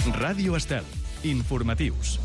Ràdio Estel. Informatius.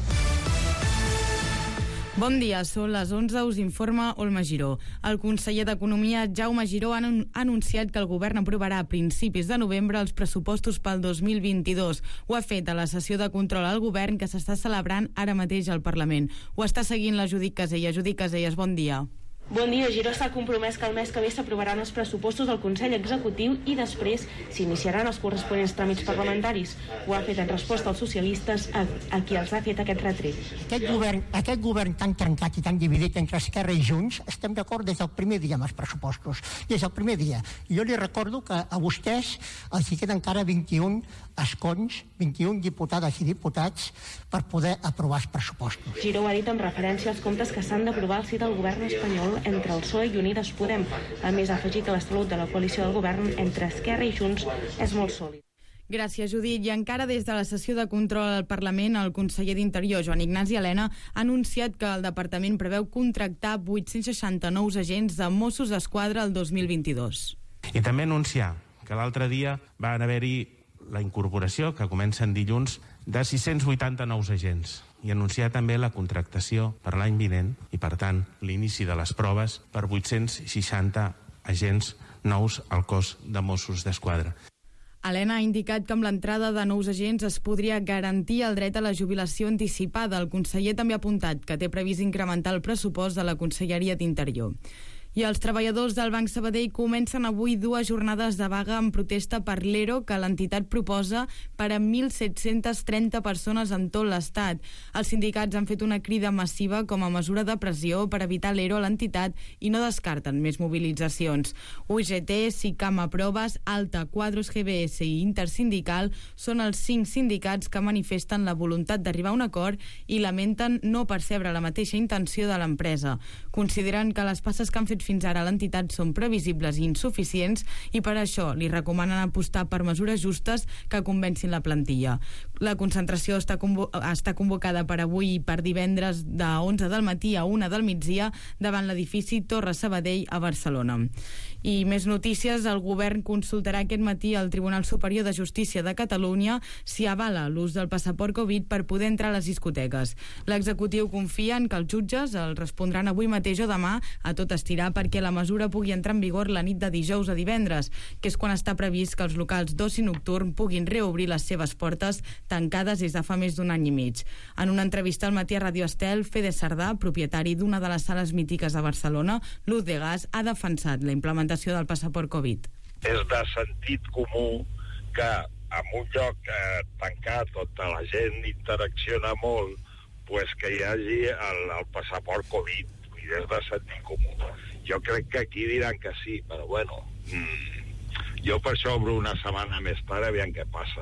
Bon dia, són les 11, us informa Olma Giró. El conseller d'Economia, Jaume Giró, ha anunciat que el govern aprovarà a principis de novembre els pressupostos pel 2022. Ho ha fet a la sessió de control al govern que s'està celebrant ara mateix al Parlament. Ho està seguint la Judit Casellas. Judit Casellas, bon dia. Bon dia. Giró està compromès que el mes que ve s'aprovaran els pressupostos del Consell Executiu i després s'iniciaran els corresponents tràmits parlamentaris. Ho ha fet en resposta als socialistes a qui els ha fet aquest retret. Aquest govern tan trencat i tan dividit entre Esquerra i Junts, estem d'acord des del primer dia amb els pressupostos. Des del primer dia. Jo li recordo que a vostès els hi queden encara 21 escons, 21 diputades i diputats per poder aprovar els pressupostos. Giró ho ha dit en referència als comptes que s'han d'aprovar al si del govern espanyol entre el PSOE i Unides Podem. A més, ha afegit que la salut de la coalició del govern entre Esquerra i Junts és molt sòlid. Gràcies, Judit. I encara des de la sessió de control al Parlament, el conseller d'Interior, Joan Ignasi Elena, ha anunciat que el departament preveu contractar 860 nous agents de Mossos d'Esquadra el 2022. I també anunciar que l'altre dia van haver-hi la incorporació, que comença en dilluns, de 680 nous agents, i anunciar també la contractació per l'any vinent i, per tant, l'inici de les proves per 860 agents nous al cos de Mossos d'Esquadra. Elena ha indicat que amb l'entrada de nous agents es podria garantir el dret a la jubilació anticipada. El conseller també ha apuntat que té previst incrementar el pressupost de la Conselleria d'Interior. I els treballadors del Banc Sabadell comencen avui 2 jornades de vaga en protesta per l'ERO que l'entitat proposa per a 1.730 persones en tot l'Estat. Els sindicats han fet una crida massiva com a mesura de pressió per evitar l'ERO a l'entitat i no descarten més mobilitzacions. UGT, SICAM Proves, Alta, Quadros GBS i Intersindical són els 5 sindicats que manifesten la voluntat d'arribar a un acord i lamenten no percebre la mateixa intenció de l'empresa. Consideren que les passes que han fet fins ara l'entitat són previsibles i insuficients i per això li recomanen apostar per mesures justes que convencin la plantilla. La concentració està convocada per avui i per divendres de 11 del matí a 1 del migdia davant l'edifici Torre Sabadell a Barcelona. I més notícies, el govern consultarà aquest matí al Tribunal Superior de Justícia de Catalunya si avala l'ús del passaport Covid per poder entrar a les discoteques. L'executiu confia en que els jutges el respondran avui mateix o demà a tot estirar perquè la mesura pugui entrar en vigor la nit de dijous a divendres, que és quan està previst que els locals d'oci nocturn puguin reobrir les seves portes tancades des de fa més d'un any i mig. En una entrevista al matí a Ràdio Estel, Fede Sardà, propietari d'una de les sales mítiques de Barcelona, Luz de Gas, ha defensat la implementació del passaport Covid. És de sentit comú que en un lloc tancat on la gent interacciona molt, pues que hi hagi el passaport Covid. I és de sentit comú. Jo crec que aquí diran que sí, però bueno, jo per això obro una setmana més tard, aviam què passa.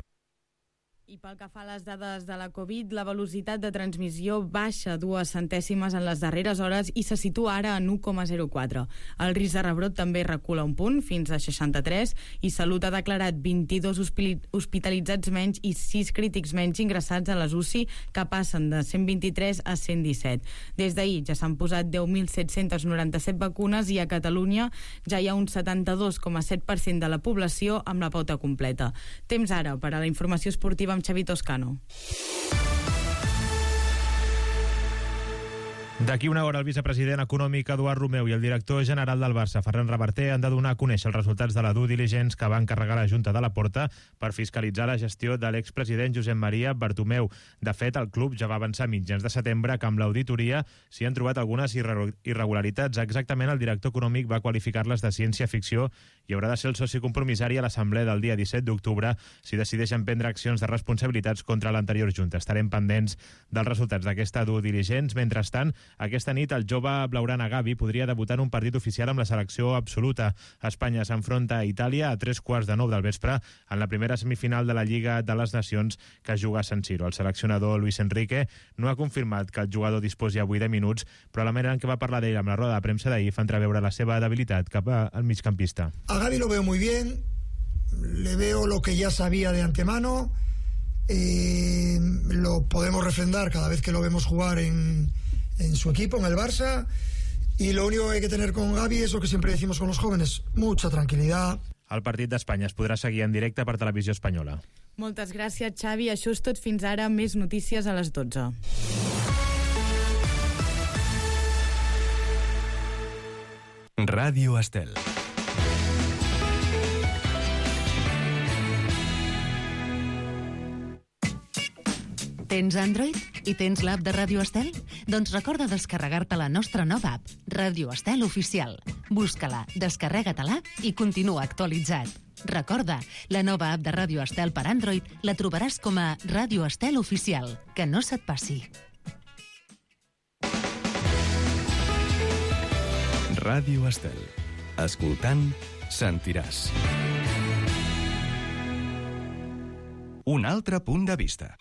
I pel que fa a les dades de la Covid, la velocitat de transmissió baixa 2 centèsimes en les darreres hores i se situa ara en 1,04. El risc de rebrot també recula un punt, fins a 63, i Salut ha declarat 22 hospitalitzats menys i 6 crítics menys ingressats a les UCI, que passen de 123 a 117. Des d'ahir ja s'han posat 10.797 vacunes i a Catalunya ja hi ha un 72,7% de la població amb la pauta completa. Temps ara per a la informació esportiva amb Xavi Toscano. D'aquí una hora el vicepresident econòmic Eduard Romeu i el director general del Barça, Ferran Reverter, han de donar a conèixer els resultats de la due diligence que va encarregar la Junta de la Porta per fiscalitzar la gestió de l'expresident Josep Maria Bartomeu. De fet, el club ja va avançar a mitjans de setembre que amb l'auditoria s'hi han trobat algunes irregularitats. Exactament, el director econòmic va qualificar-les de ciència-ficció i haurà de ser el soci compromissari a l'assemblea del dia 17 d'octubre si decideixen prendre accions de responsabilitats contra l'anterior Junta. Estarem pendents dels resultats d'aquesta due diligence. Mentrestant, aquesta nit el jove blaugrana Gavi podria debutar en un partit oficial amb la selecció absoluta. Espanya s'enfronta a Itàlia a 3:15 del vespre en la primera semifinal de la Lliga de les Nacions que juga a San Siro. El seleccionador Luis Enrique no ha confirmat que el jugador disposi avui de minuts, però la manera en què va parlar d'ell amb la roda de premsa d'ahir fa entreveure la seva debilitat cap al migcampista. A Gavi lo veo muy bien, le veo lo que ya sabía de antemano, lo podemos refrendar cada vez que lo vemos jugar en su equipo, en el Barça, y lo único que hay que tener con Gavi es lo que siempre decimos con los jóvenes, mucha tranquilidad. El partit d'Espanya es podrà seguir en directe per Televisió Espanyola. Moltes gràcies, Xavi. Això és tot fins ara. Més notícies a les 12. Ràdio Estel. Tens Android i tens l'app de Ràdio Estel? Doncs recorda descarregar-te la nostra nova app, Ràdio Estel Oficial. Busca-la, descarrega-te-la i continua actualitzat. Recorda, la nova app de Ràdio Estel per Android la trobaràs com a Ràdio Estel Oficial. Que no se't passi. Ràdio Estel. Escoltant, sentiràs. Un altre punt de vista.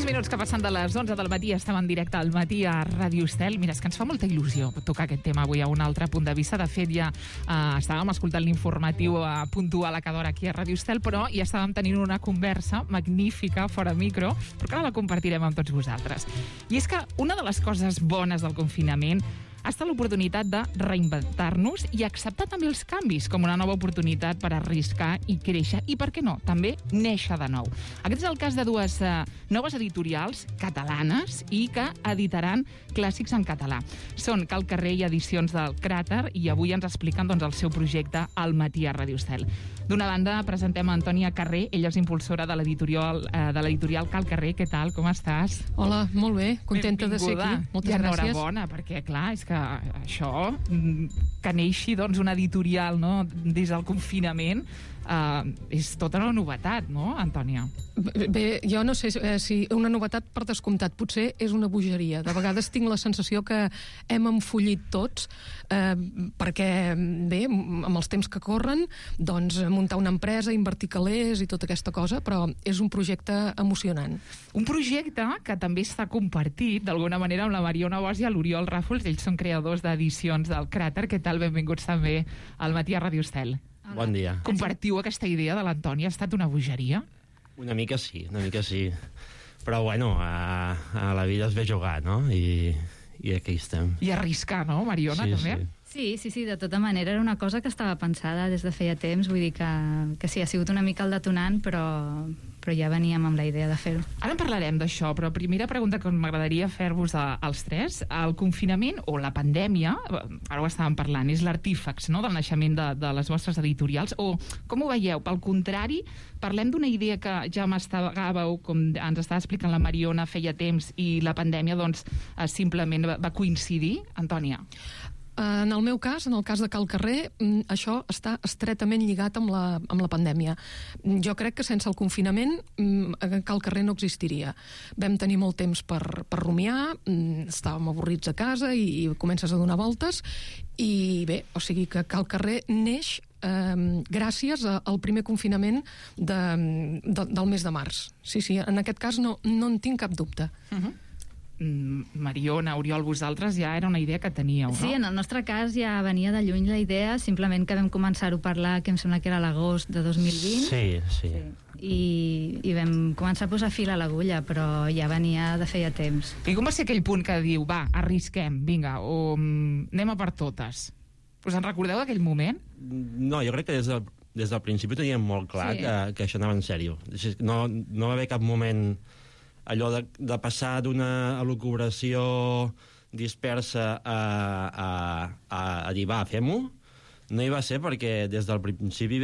Minuts que passen de les 11 del matí, estem en directe al matí a Ràdio Estel. Mira, és que ens fa molta il·lusió tocar aquest tema avui a un altre punt de vista. De fet, ja estàvem escoltant l'informatiu puntual a cada hora aquí a Ràdio Estel, però ja estàvem tenint una conversa magnífica fora micro, però que ara la compartirem amb tots vosaltres. I és que una de les coses bones del confinament ha estat l'oportunitat de reinventar-nos i acceptar també els canvis com una nova oportunitat per arriscar i créixer i, per què no, també néixer de nou. Aquest és el cas de dues noves editorials catalanes i que editaran clàssics en català. Són Cal Carrer i Edicions del Cràter i avui ens expliquen el seu projecte al matí a Ràdio Estel. D'una banda, presentem a Antònia Carrer, ella és impulsora de l'editorial Cal Carrer. Què tal, com estàs? Hola, molt bé, contenta de ser aquí. Moltes gràcies. I enhorabona, perquè, clar, és que això, que neixi una editorial des del confinament, és tota una novetat, no, Antònia? Bé, jo no sé si una novetat per descomptat, potser és una bogeria. De vegades tinc la sensació que hem enfollit tots, perquè, bé, amb els temps que corren, doncs muntar una empresa, invertir calés i tota aquesta cosa, però és un projecte emocionant. Un projecte que també està compartit, d'alguna manera, amb la Mariona Bosch i l'Oriol Ràfols. Ells són creadors d'Edicions del Cràter. Què tal? Benvinguts també al matí a Ràdio Estel. Bon dia. Compartiu aquesta idea de l'Antònia? Ha estat una bogeria? Una mica sí. Però, bueno, a la vida es ve jugar, no? I aquí estem. I arriscar, no, Mariona, també? Sí, de tota manera era una cosa que estava pensada des de feia temps, vull dir que sí, ha sigut una mica el detonant, però ja veníem amb la idea de fer-ho. Ara en parlarem d'això, però primera pregunta que m'agradaria fer-vos als tres. El confinament o la pandèmia, ara ho estàvem parlant, és l'artífex, no?, del naixement de les vostres editorials, o com ho veieu? Pel contrari, parlem d'una idea que ja mastegàveu, com ens estava explicant la Mariona feia temps, i la pandèmia doncs simplement va coincidir. Antònia? En el meu cas, en el cas de Cal Carrer, això està estretament lligat amb la pandèmia. Jo crec que sense el confinament Cal Carrer no existiria. Vam tenir molt temps per rumiar, estàvem avorrits a casa i comences a donar voltes, i bé, o sigui que Cal Carrer neix gràcies al primer confinament del mes de març. Sí, en aquest cas no en tinc cap dubte. Mariona, Oriol, vosaltres ja era una idea que teníeu, no? Sí, en el nostre cas ja venia de lluny la idea, simplement que vam començar-ho a parlar, que em sembla que era l'agost de 2020. Sí. I vam començar a posar fil a l'agulla, però ja venia de feia temps. I com va ser aquell punt que diu, va, arrisquem, vinga, o anem a per totes? Us en recordeu d'aquell moment? No, jo crec que des del principi teníem molt clar que això anava en sèrio. No va haver cap moment allò de passar d'una elucubració dispersa a dir, va, fem-ho. No hi va ser perquè des del principi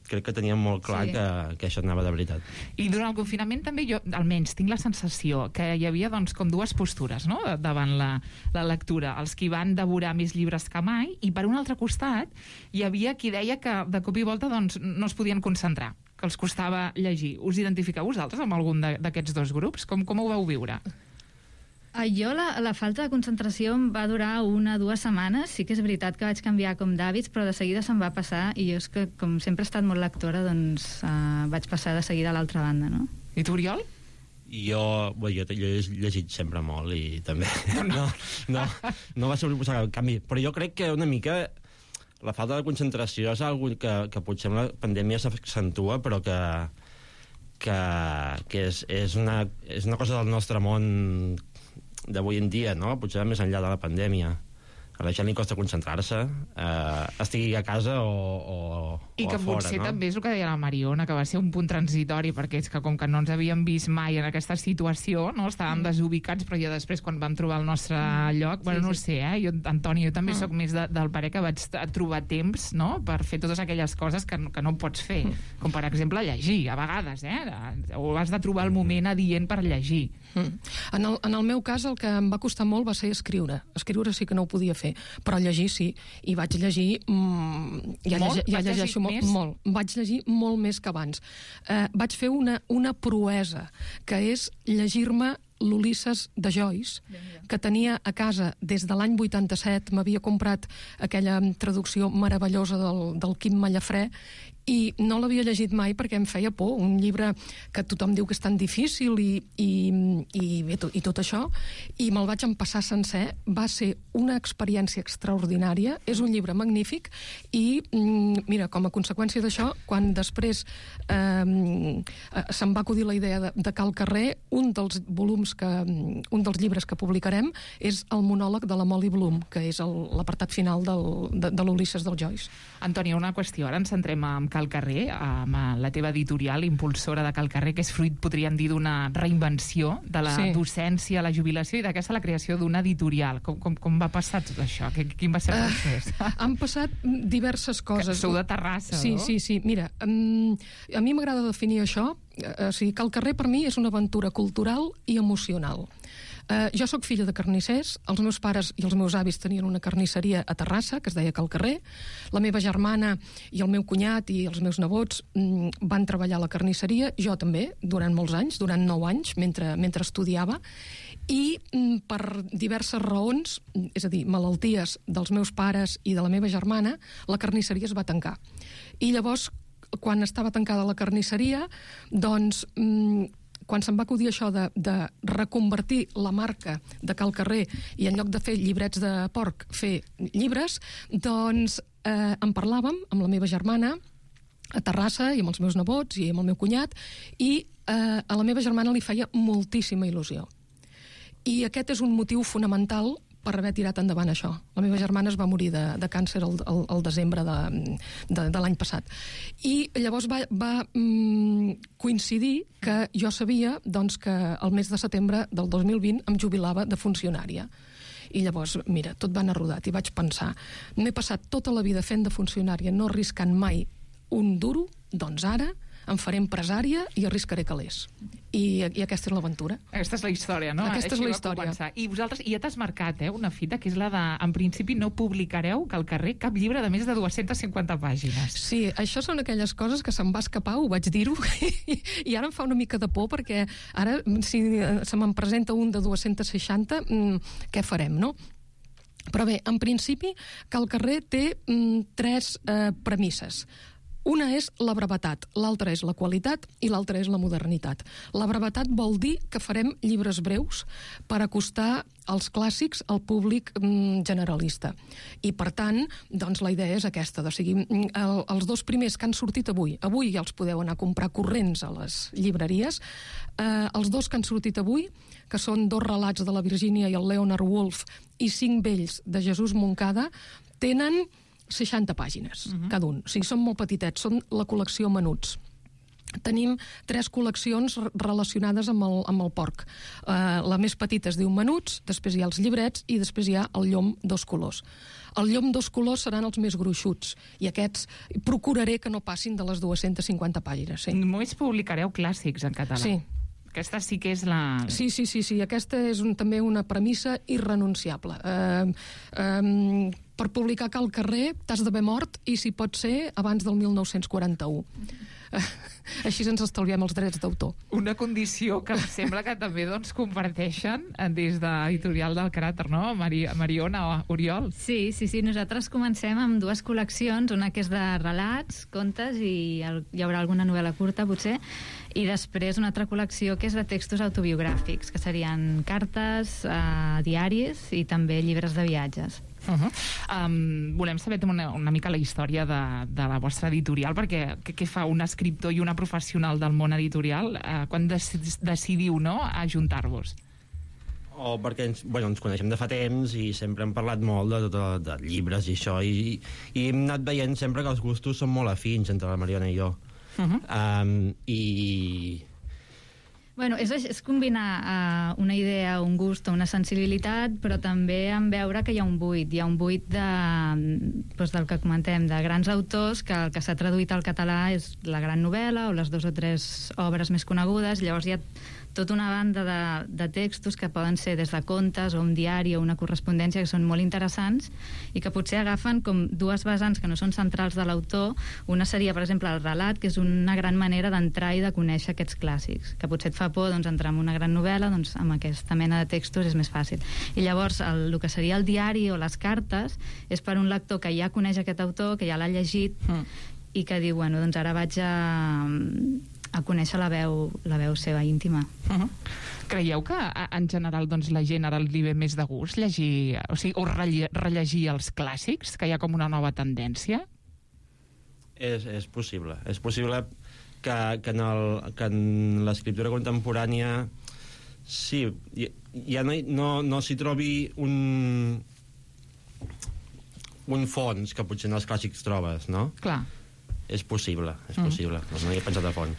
crec que teníem molt clar que això anava de veritat. I durant el confinament també jo, almenys, tinc la sensació que hi havia doncs, com dues postures, no?, davant la lectura. Els que van devorar més llibres que mai, i per un altre costat hi havia qui deia que de cop i volta doncs, no es podien concentrar, que els costava llegir. Us identifiqueu vosaltres amb algun d'aquests dos grups? Com ho vau viure? Jo la falta de concentració em va durar 1 o 2 setmanes. Sí que és veritat que vaig canviar com d'hàbits, però de seguida se'm va passar, i jo és que com sempre he estat molt lectora, doncs vaig passar de seguida a l'altra banda, no? I tu, Oriol? Jo he llegit sempre molt i també no va suposar cap canvi, però jo crec que una mica la falta de concentració és una cosa que potser amb la pandèmia s'accentua, però que que és una cosa del nostre món d'avui en dia, no? Potser més enllà de la pandèmia. A la gent li costa concentrar-se, estigui a casa o I que a fora, potser no? també és el que deia la Mariona, que va ser un punt transitori, perquè és que com que no ens havíem vist mai en aquesta situació, no? Estàvem desubicats, però ja després quan vam trobar el nostre lloc, bueno, no sé, jo, Antoni, jo també sóc més del parer que vaig trobar temps, no?, per fer totes aquelles coses que no pots fer, com per exemple llegir, a vegades, o has de trobar el moment adient per llegir. En el meu cas el que em va costar molt va ser escriure sí que no ho podia fer, però llegir sí, i vaig llegir ja llegeixo molt, vaig llegir molt més que abans. Vaig fer una proesa, que és llegir-me l'Ulisses de Joyce, que tenia a casa des de l'any 87, m'havia comprat aquella traducció meravellosa del Quim Mallafrè, i no l'havia llegit mai perquè em feia por, un llibre que tothom diu que és tan difícil i tot això, i me'l vaig empassar sencer. Va ser una experiència extraordinària, és un llibre magnífic, i mira, com a conseqüència d'això, quan després se'm va acudir la idea de Cal Carrer, un dels llibres que publicarem és el monòleg de la Molly Bloom, que és l'apartat final de l'Ulisses del Joyce. Antònia, una qüestió, ara ens centrem en Cal Carrer, amb la teva editorial, impulsora de Cal Carrer, que és fruit, podríem dir, d'una reinvenció de la docència, la jubilació i d'aquesta la creació d'una editorial. Com va passar tot això? Quin va ser el procés? Han passat diverses coses. Que sou de Terrassa, no? Sí. Mira, a mi m'agrada definir això. O sigui, Cal Carrer per mi és una aventura cultural i emocional. Jo sóc filla de carnissers, els meus pares i els meus avis tenien una carnisseria a Terrassa, que es deia Cal Carrer. La meva germana i el meu cunyat i els meus nebots van treballar a la carnisseria, jo també, durant molts anys, durant 9 anys, mentre estudiava, i per diverses raons, és a dir, malalties dels meus pares i de la meva germana, la carnisseria es va tancar. I llavors, quan estava tancada la carnisseria, doncs quan se'm va acudir això de reconvertir la marca de Cal Carrer i en lloc de fer llibrets de porc, fer llibres, doncs en parlàvem amb la meva germana a Terrassa i amb els meus nebots i amb el meu cunyat, i a la meva germana li feia moltíssima il·lusió. I aquest és un motiu fonamental per haver tirat endavant això. La meva germana es va morir de càncer al desembre de l'any passat. I llavors va coincidir que jo sabia doncs, que el mes de setembre del 2020 em jubilava de funcionària. I llavors, mira, tot va anar rodat i vaig pensar, m'he passat tota la vida fent de funcionària, no arriscant mai un duro, doncs ara em faré empresària i arriscaré calés. I aquesta és l'aventura. Aquesta és la història, no? Aquesta és la història. I vosaltres, ja t'has marcat una fita, que és la de, en principi, no publicareu Cal Carrer cap llibre de més de 250 pàgines. Sí, això són aquelles coses que se'm va escapar, ho vaig dir-ho, i ara em fa una mica de por, perquè ara, si se me'n presenta un de 260, què farem, no? Però bé, en principi, Cal Carrer té 3 premisses. Una és la brevetat, l'altra és la qualitat i l'altra és la modernitat. La brevetat vol dir que farem llibres breus per acostar els clàssics al públic generalista. I, per tant, doncs la idea és aquesta. O sigui, els 2 primers que han sortit avui ja els podeu anar a comprar corrents a les llibreries. Els 2 que han sortit avui, que són 2 relats de la Virgínia i el Leonard Woolf i 5 vells de Jesús Moncada, tenen 60 pàgines, cada un. O sigui, són molt petitets, són la col·lecció Menuts. Tenim 3 col·leccions relacionades amb el porc. La més petita es diu Menuts, després hi ha els llibrets i després hi ha el Llom 2 colors. El Llom 2 colors seran els més gruixuts i aquests procuraré que no passin de les 250 pàgines. Sí. Només publicareu clàssics en català. Sí. Aquesta sí que és la... Sí, aquesta és també una premissa irrenunciable. Per publicar Cal Carrer t'has d'haver mort i, si pot ser, abans del 1941. Així ens estalviem els drets d'autor. Una condició que em sembla que també comparteixen des d'Editorial del Cràter, no? Mariona o Oriol? Sí, nosaltres comencem amb 2 col·leccions, una que és de relats, contes, i hi haurà alguna novel·la curta, potser, i després una altra col·lecció que és de textos autobiogràfics, que serien cartes, diaris i també llibres de viatges. Volem saber una mica la història de la vostra editorial, perquè què fa un escriptor i una professional del món editorial quan decidiu, no?, ajuntar-vos? Perquè ens coneixem de fa temps i sempre hem parlat molt de llibres i això, i hem anat veient sempre que els gustos són molt afins entre la Mariona i jo. Bueno, és combinar una idea, un gust, una sensibilitat, però també en veure que hi ha un buit. Hi ha un buit del que comentem, de grans autors, que el que s'ha traduït al català és la gran novel·la o les 2 o 3 obres més conegudes. Llavors hi ha tota una banda de textos que poden ser des de contes o un diari o una correspondència, que són molt interessants i que potser agafen com 2 vessants que no són centrals de l'autor. Una seria, per exemple, el relat, que és una gran manera d'entrar i de conèixer aquests clàssics, que potser et fa por entrar en una gran novel·la, doncs amb aquesta mena de textos és més fàcil. I llavors el que seria el diari o les cartes és per un lector que ja coneix aquest autor, que ja l'ha llegit i que diu, bueno, doncs ara vaig a conèixer la veu seva íntima. Creieu que en general la gent ara li ve més de gust llegir, o rellegir els clàssics, que hi ha com una nova tendència? És possible. És possible que en l'escriptura contemporània ja no s'hi trobi un fons que potser en els clàssics trobes, no? Clar. És possible. No hi he pensat a fons.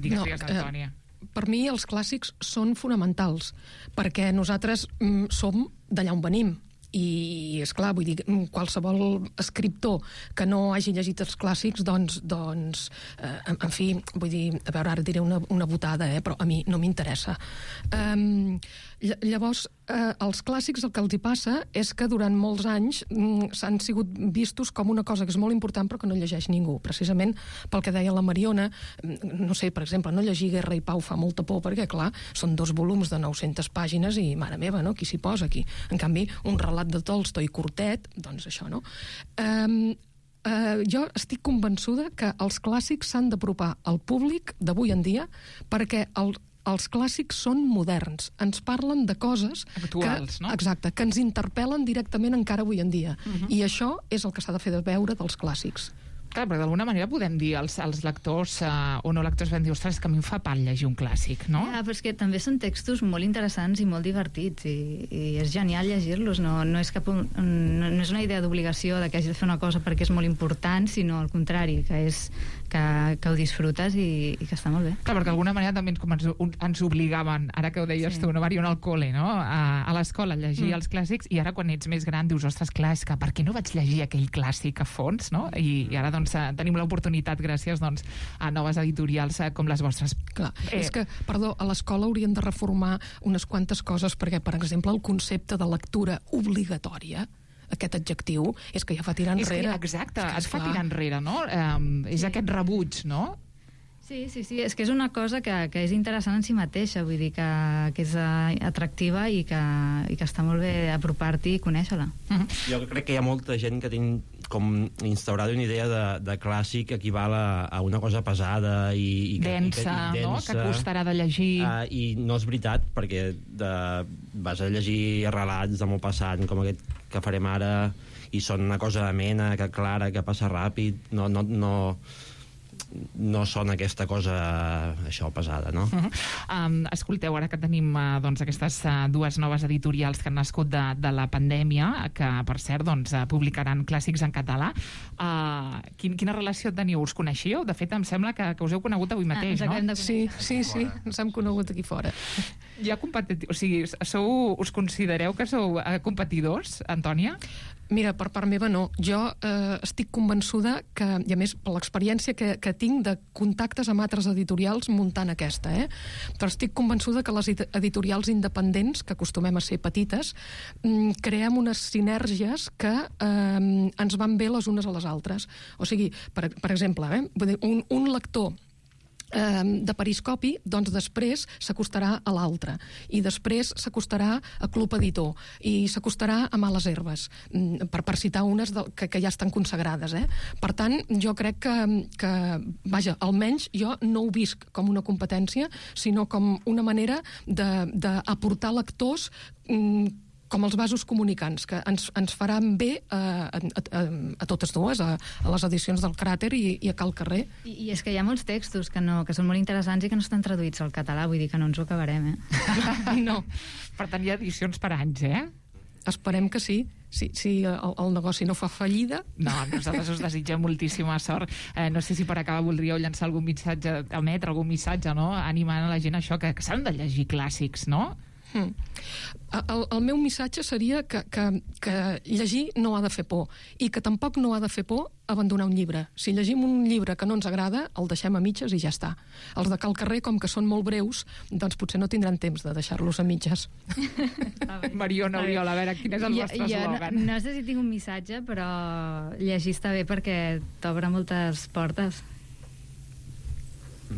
Digues, Antònia. Per mi els clàssics són fonamentals, perquè nosaltres som d'allà on venim. I, esclar, vull dir, qualsevol escriptor que no hagi llegit els clàssics, doncs en fi, vull dir, a veure, ara diré una botada, però a mi no m'interessa. Llavors, els clàssics el que els hi passa és que durant molts anys s'han sigut vistos com una cosa que és molt important però que no llegeix ningú, precisament pel que deia la Mariona. No sé, per exemple, no llegir Guerra i Pau fa molta por perquè, clar, són 2 volums de 900 pàgines i, mare meva, no? Qui s'hi posa aquí? En canvi, un relat de Tolstoi curtet, doncs això, no? Jo estic convençuda que els clàssics s'han d'apropar al públic d'avui en dia perquè els clàssics són moderns, ens parlen de coses actuals, no? Exacte, que ens interpel·len directament encara avui en dia. I això és el que s'ha de fer de veure dels clàssics. Clar, perquè d'alguna manera podem dir als lectors o no lectors, vam dir, ostres, que a mi em fa pal llegir un clàssic, no? Ja, però és que també són textos molt interessants i molt divertits i és genial llegir-los, no és una idea d'obligació de que hagi de fer una cosa perquè és molt important, sinó al contrari, que ho disfrutes i que està molt bé. Clar, perquè d'alguna manera també ens obligaven, ara que ho deies tu, no, Mariona, al col·le, no? A l'escola, a llegir els clàssics, i ara quan ets més gran dius, ostres, clar, és que per què no vaig llegir aquell clàssic a fons, no? I ara, doncs, tenim l'oportunitat gràcies a noves editorials com les vostres. Clar, és que, perdó, a l'escola haurien de reformar unes quantes coses perquè, per exemple, el concepte de lectura obligatòria, aquest adjectiu, és que ja fa tirar enrere. Exacte, es fa tirar enrere, no? És aquest rebuig, no? Sí, és que és una cosa que és interessant en si mateixa, vull dir que és atractiva i que està molt bé apropar-t'hi i conèixer-la. Jo crec que hi ha molta gent que té com instaurada una idea de clàssic que equival a una cosa pesada i densa, no? Que costarà de llegir. I no és veritat, perquè vas a llegir relats de molt passat, com aquest que farem ara, i són una cosa amena, que clara, que passa ràpid, no són aquesta cosa això pesada, no? Escolteu, ara que tenim aquestes 2 noves editorials que han nascut de la pandèmia, que per cert publicaran clàssics en català, quina relació teniu? Us coneixíeu? De fet, em sembla que us heu conegut avui mateix, no? Sí, ens hem conegut aquí fora. Hi ha o sigui, us considereu que sou competidors, Antònia? Mira, per part meva no. Jo estic convençuda que, i a més per l'experiència que tinc de contactes amb altres editorials muntant aquesta, però estic convençuda que les editorials independents, que acostumem a ser petites, creem unes sinergies que ens van bé les unes a les altres. O sigui, per exemple, un lector de Periscopi, doncs després s'acostarà a l'altre, i després s'acostarà a Club Editor, i s'acostarà a Males Herbes, per citar unes que ja estan consagrades. Per tant, jo crec que, vaja, almenys jo no ho visc com una competència, sinó com una manera d'aportar lectors com els vasos comunicants, que ens faran bé a totes dues, a les edicions del Cràter i a Cal Carrer. I és que hi ha molts textos que són molt interessants i que no estan traduïts al català, vull dir que no ens ho acabarem, No. Per tant, hi ha edicions per anys, Esperem que sí. Si el negoci no fa fallida... No, nosaltres us desitgem moltíssima sort. No sé si per acabar voldríeu llançar algun missatge, emetre algun missatge, no? Animant a la gent això, que s'han de llegir clàssics, no? El meu missatge seria que llegir no ha de fer por i que tampoc no ha de fer por abandonar un llibre. Si llegim un llibre que no ens agrada, el deixem a mitges i ja està. Els de Cal Carrer, com que són molt breus, doncs potser no tindran temps de deixar-los a mitges. Mariona, Oriol, a veure, quin és el vostre eslògan? No sé si tinc un missatge, però llegir està bé perquè t'obre moltes portes.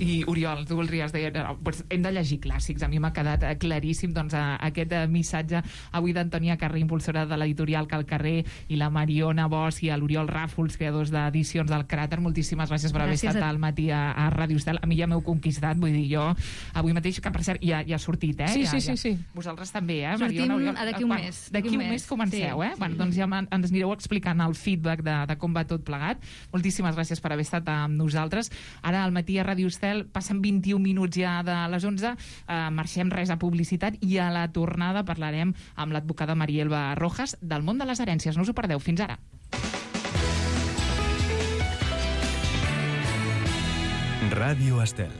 I, Oriol, tu voldries dir, hem de llegir clàssics. A mi m'ha quedat claríssim aquest missatge avui d'Antònia Carrer, impulsora de l'editorial Cal Carrer, i la Mariona Bosch i l'Oriol Ràfols, creadors d'edicions del Cràter. Moltíssimes gràcies per haver estat al matí a Ràdio Estel. A mi ja m'heu conquistat, vull dir, jo avui mateix, que per cert ja ha sortit, Sí. Vosaltres també, Mariona, Oriol? D'aquí un mes. D'aquí un mes comenceu, Bueno, doncs ja ens anireu explicant el feedback de com va tot plegat. Moltíssimes gràcies per haver estat amb nosaltres. Ara al matí a Ràdio Estel passen 21 minuts ja de les 11, marxem res a publicitat i a la tornada parlarem amb l'advocada Marielba Rojas del món de les herències. No us ho perdeu. Fins ara. Ràdio Estel.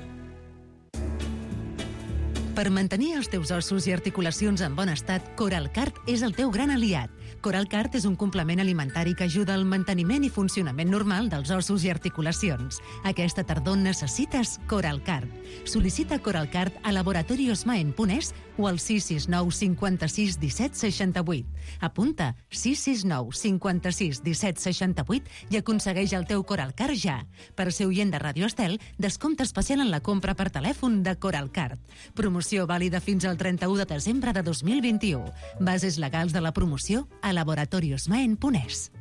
Per mantenir els teus ossos i articulacions en bon estat, Coralcart és el teu gran aliat. Coralcart és un complement alimentari que ajuda al manteniment i funcionament normal dels ossos i articulacions. Aquesta tardor necessites Coralcart. Sol·licita Coralcart a laboratoriosmaen.es o al 669 56 17 68. Apunta 669 56 17 68 i aconsegueix el teu Coralcart ja. Per ser oient de Ràdio Estel, descompte especial en la compra per telèfon de Coralcart. Promoció vàlida fins al 31 de desembre de 2021. Bases legals de la promoció a laboratoriosmaen.es.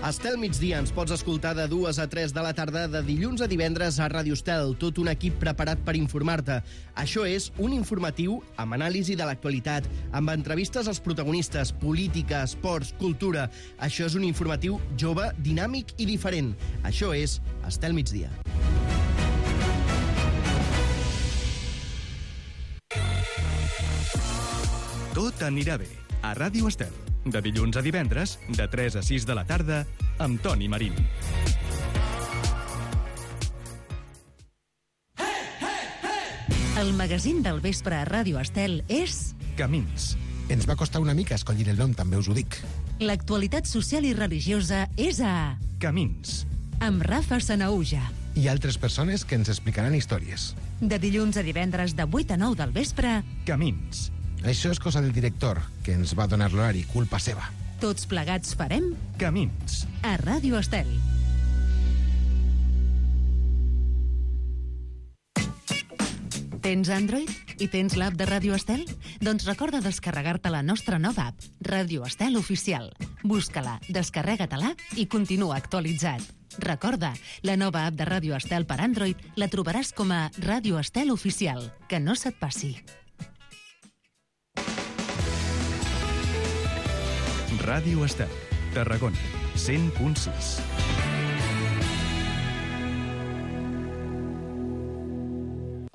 Estel Migdia ens pots escoltar de 2 a 3 de la tarda de dilluns a divendres a Ràdio Estel, tot un equip preparat per informar-te. Això és un informatiu amb anàlisi de l'actualitat, amb entrevistes als protagonistes, política, esports, cultura. Això és un informatiu jove, dinàmic i diferent. Això és Estel Migdia. Tot anirà bé a Ràdio Estel. De dilluns a divendres, de 3 a 6 de la tarda, amb Toni Marín. El magazín del vespre a Ràdio Estel és... Camins. Ens va costar una mica escollir el nom, també us ho dic. L'actualitat social i religiosa és a... Camins. Amb Rafa Sanaúja. I altres persones que ens explicaran històries. De dilluns a divendres, de 8 a 9 del vespre... Camins. Això és cosa del director, que ens va donar l'horari, culpa seva. Tots plegats farem... Camins. A Ràdio Estel. Tens Android i tens l'app de Ràdio Estel? Doncs recorda descarregar-te la nostra nova app, Ràdio Estel Oficial. Busca-la, descarrega-te-la i continua actualitzat. Recorda, la nova app de Ràdio Estel per Android la trobaràs com a Ràdio Estel Oficial. Que no se't passi. Ràdio Estel, Tarragona, 100.6.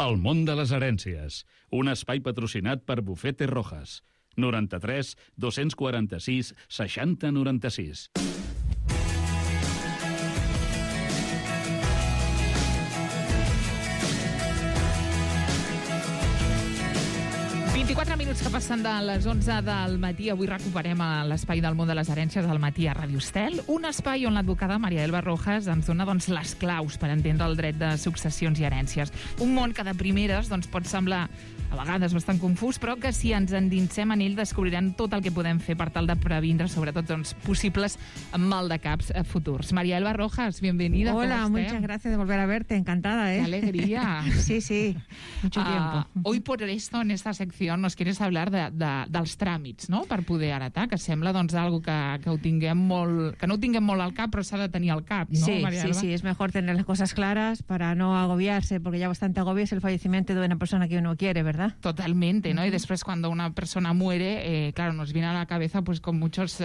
El món de les herències, un espai patrocinat per Bufete Rojas. 93 246 60 96. 24 minuts que passen de les 11 del matí. Avui recuperem l'espai del món de les herències al matí a Ràdio Estel, un espai on l'advocada Marielba Rojas ens dona les claus per entendre el dret de successions i herències. Un món que de primeres pot semblar a vegades bastant confús, però que si ens endinsem en ell descobrirem tot el que podem fer per tal de previndre, sobretot, possibles maldecaps futurs. Marielba Rojas, bienvenida. Hola, muchas gracias de volver a verte, encantada, ¿eh? Qué alegría. Sí, mucho tiempo. Hoy por esto, en esta sección, nos quieres hablar dels tràmits, no?, per poder heretar, que sembla doncs algo que ho tinguem molt, que no ho tinguem molt al cap, però s'ha de tenir al cap, ¿no, María Alba? Sí, es mejor tener las cosas claras para no agobiarse, porque ya bastante agobio es el fallecimiento de una persona que uno quiere, ¿verdad? Totalmente, ¿no? Y después cuando una persona muere, claro, nos viene a la cabeza pues con muchos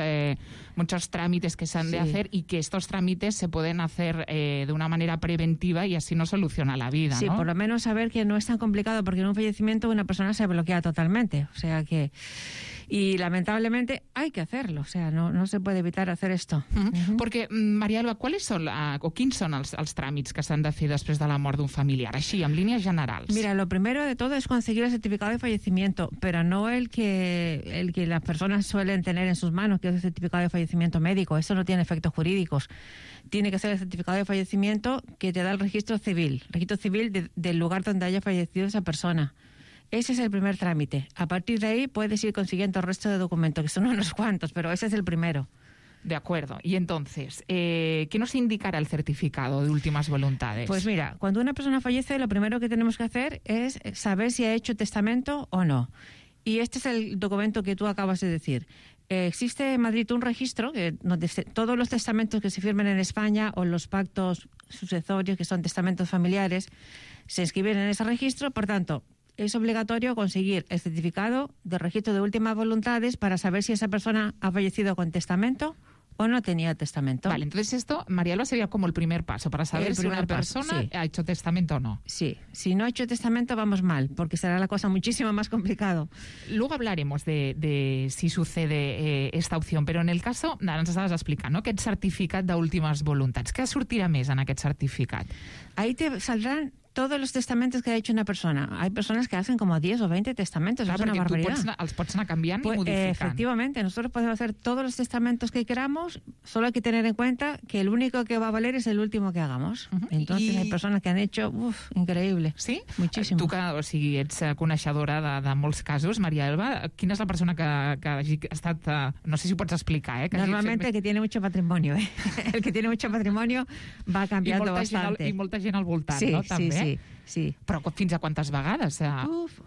trámites que se han de hacer, y que estos trámites se pueden hacer de una manera preventiva y así no soluciona la vida, Sí, ¿no? por lo menos saber que no es tan complicado, porque en un fallecimiento una persona se bloquea totalmente, o sea que... Y lamentablemente hay que hacerlo, o sea, no se puede evitar hacer esto. Perquè, María Alba, quins són els tràmits que s'han de fer després de la mort d'un familiar? Així, en línies generals. Mira, lo primero de todo es conseguir el certificado de fallecimiento, pero no el que las personas suelen tener en sus manos, que es el certificado de fallecimiento médico. Eso no tiene efectos jurídicos. Tiene que ser el certificado de fallecimiento que te da el registro civil del lugar donde haya fallecido esa persona. Ese es el primer trámite. A partir de ahí puedes ir consiguiendo el resto de documentos, que son unos cuantos, pero ese es el primero. De acuerdo. Y entonces, ¿qué nos indicará el certificado de últimas voluntades? Pues mira, cuando una persona fallece, lo primero que tenemos que hacer es saber si ha hecho testamento o no. Y este es el documento que tú acabas de decir. Existe en Madrid un registro donde todos los testamentos que se firmen en España o los pactos sucesorios, que son testamentos familiares, se inscriben en ese registro. Por tanto, es obligatorio conseguir el certificado de registro de últimas voluntades para saber si esa persona ha fallecido con testamento o no tenía testamento. Vale, entonces esto, María Alba, sería como el primer paso para saber si una persona ha hecho testamento o no. Sí, si no ha hecho testamento vamos mal, porque será la cosa muchísimo más complicado. Luego hablaremos de si sucede esta opción, però en el caso, ara ens estaves explicant, no?, aquest certificat d'últimes voluntats. Què sortirà més en aquest certificat? Ahí te saldrán todos los testamentos que ha hecho una persona. Hay personas que hacen como 10 o 20 testamentos, es una barbaridad. Els pots anar canviant i modificant. Efectivamente, nosotros podemos hacer todos los testamentos que queramos, solo hay que tener en cuenta que el único que va a valer es el último que hagamos. Entonces hay personas que han hecho, increíble. Sí? Muchísimo. Tu que, o sigui, ets coneixedora de molts casos, María Alba, quina és la persona que hagi estat, no sé si ho pots explicar, que normalmente el que tiene mucho patrimonio, el que tiene mucho patrimonio va cambiando bastante. I molta gent al voltant, sí, no? També. Sí. Però fins a quantes vegades?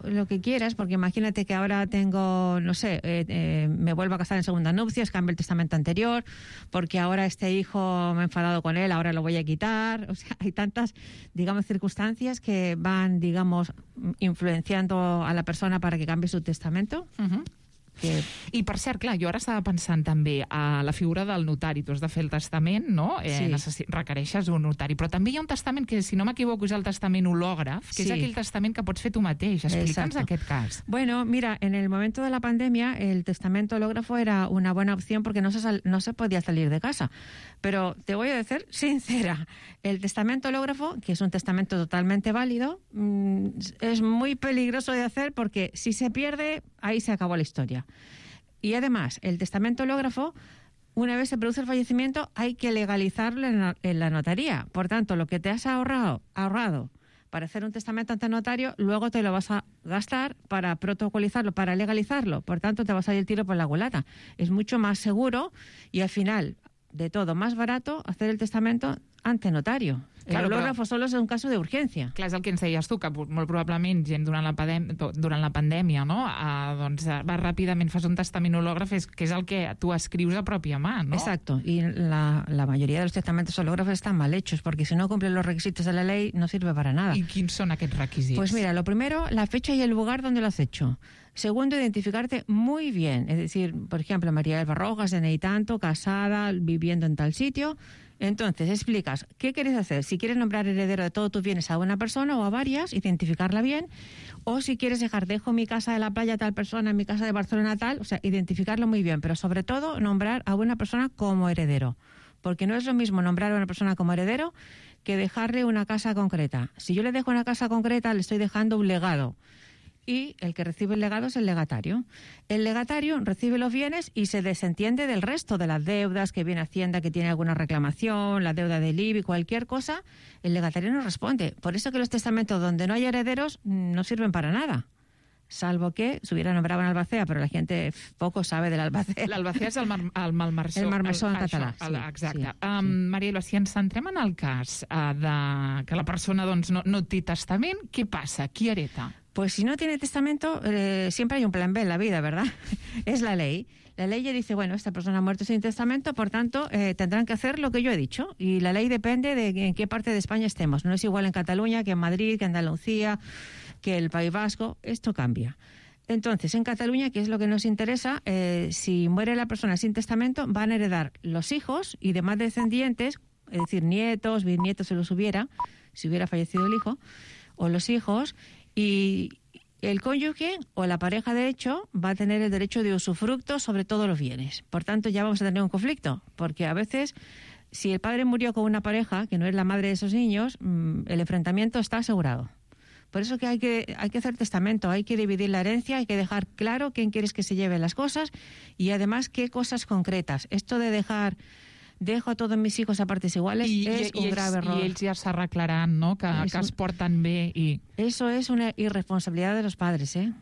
Lo que quieras, porque imagínate que ahora tengo, no sé, me vuelvo a casar en segunda nupcias, cambio el testamento anterior, porque ahora este hijo me he enfadado con él, ahora lo voy a quitar. O sea, hay tantas, digamos, circunstancias que van, digamos, influenciando a la persona para que cambie su testamento. I per cert, clar, jo ara estava pensant també a la figura del notari. Tu has de fer el testament, no? Requereixes un notari, però també hi ha un testament que, si no m'equivoco, és el testament hològraf, que és aquell testament que pots fer tu mateix. Explica'ns aquest cas. Bueno, mira, en el momento de la pandemia el testamento hológrafo era una buena opción porque no se podía salir de casa. Pero te voy a decir sincera, el testamento hológrafo, que es un testamento totalmente válido, es muy peligroso de hacer porque si se pierde, ahí se acabó la historia. Y además, el testamento hológrafo, una vez se produce el fallecimiento, hay que legalizarlo en la notaría. Por tanto, lo que te has ahorrado para hacer un testamento ante notario, luego te lo vas a gastar para protocolizarlo, para legalizarlo. Por tanto, te va a salir el tiro por la culata. Es mucho más seguro y al final, de todo, más barato hacer el testamento ante notario. El hològrafo solo és un cas d'urgència. Clar, és el que ens deies tu, que molt probablement gent durant la pandèmia, no? Doncs vas ràpidament, fas un testament hològraf, que és el que tu escrius a pròpia mà, ¿no? Exacto, y la mayoría de los testamentos hológrafos están mal hechos, porque si no cumplen los requisitos de la ley, no sirve para nada. ¿Y quins són aquests requisits? Pues mira, lo primero, la fecha y el lugar donde lo has hecho. Segundo, identificarte muy bien. Es decir, por ejemplo, María Alba Rojas, DNI tanto, casada, viviendo en tal sitio. Entonces, explicas qué quieres hacer. Si quieres nombrar heredero de todos tus bienes a una persona o a varias, identificarla bien. O si quieres dejo mi casa de la playa a tal persona, mi casa de Barcelona tal, o sea, identificarlo muy bien. Pero sobre todo, nombrar a una persona como heredero. Porque no es lo mismo nombrar a una persona como heredero que dejarle una casa concreta. Si yo le dejo una casa concreta, le estoy dejando un legado. Y el que recibe el legado es el legatario. El legatario recibe los bienes y se desentiende del resto de las deudas que viene Hacienda, que tiene alguna reclamación, la deuda del IBI, cualquier cosa, el legatario no responde. Por eso que los testamentos donde no hay herederos no sirven para nada. Salvo que se hubiera nombrado en albacea, però la gent poco sabe de l'albacea. L'albacea és el malmarsor. El malmarsor en català. Exacte. Maria Alba, si ens centrem en el cas de que la persona doncs, no té testament, què passa? Qui hereta? Pues si no tiene testamento, siempre hay un plan B en la vida, ¿verdad? Es la ley. La ley ya dice, bueno, esta persona ha muerto sin testamento, por tanto, tendrán que hacer lo que yo he dicho. Y la ley depende de en qué parte de España estemos. No es igual en Cataluña que en Madrid, que en Andalucía, que el País Vasco. Esto cambia. Entonces, en Cataluña, que es lo que nos interesa, si muere la persona sin testamento, van a heredar los hijos y demás descendientes, es decir, nietos, bisnietos, si los hubiera, si hubiera fallecido el hijo, o los hijos, y el cónyuge o la pareja de hecho va a tener el derecho de usufructo sobre todos los bienes. Por tanto, ya vamos a tener un conflicto, porque a veces, si el padre murió con una pareja que no es la madre de esos niños, el enfrentamiento está asegurado. Por eso que hay que hacer testamento, hay que dividir la herencia, hay que dejar claro quién quieres que se lleve las cosas y además qué cosas concretas. Esto de dejo a todos mis hijos a partes iguales es un grave error. I ells ja s'arreglaran, no? Que es porten bé i... Eso es una irresponsabilidad de los padres, ¿eh?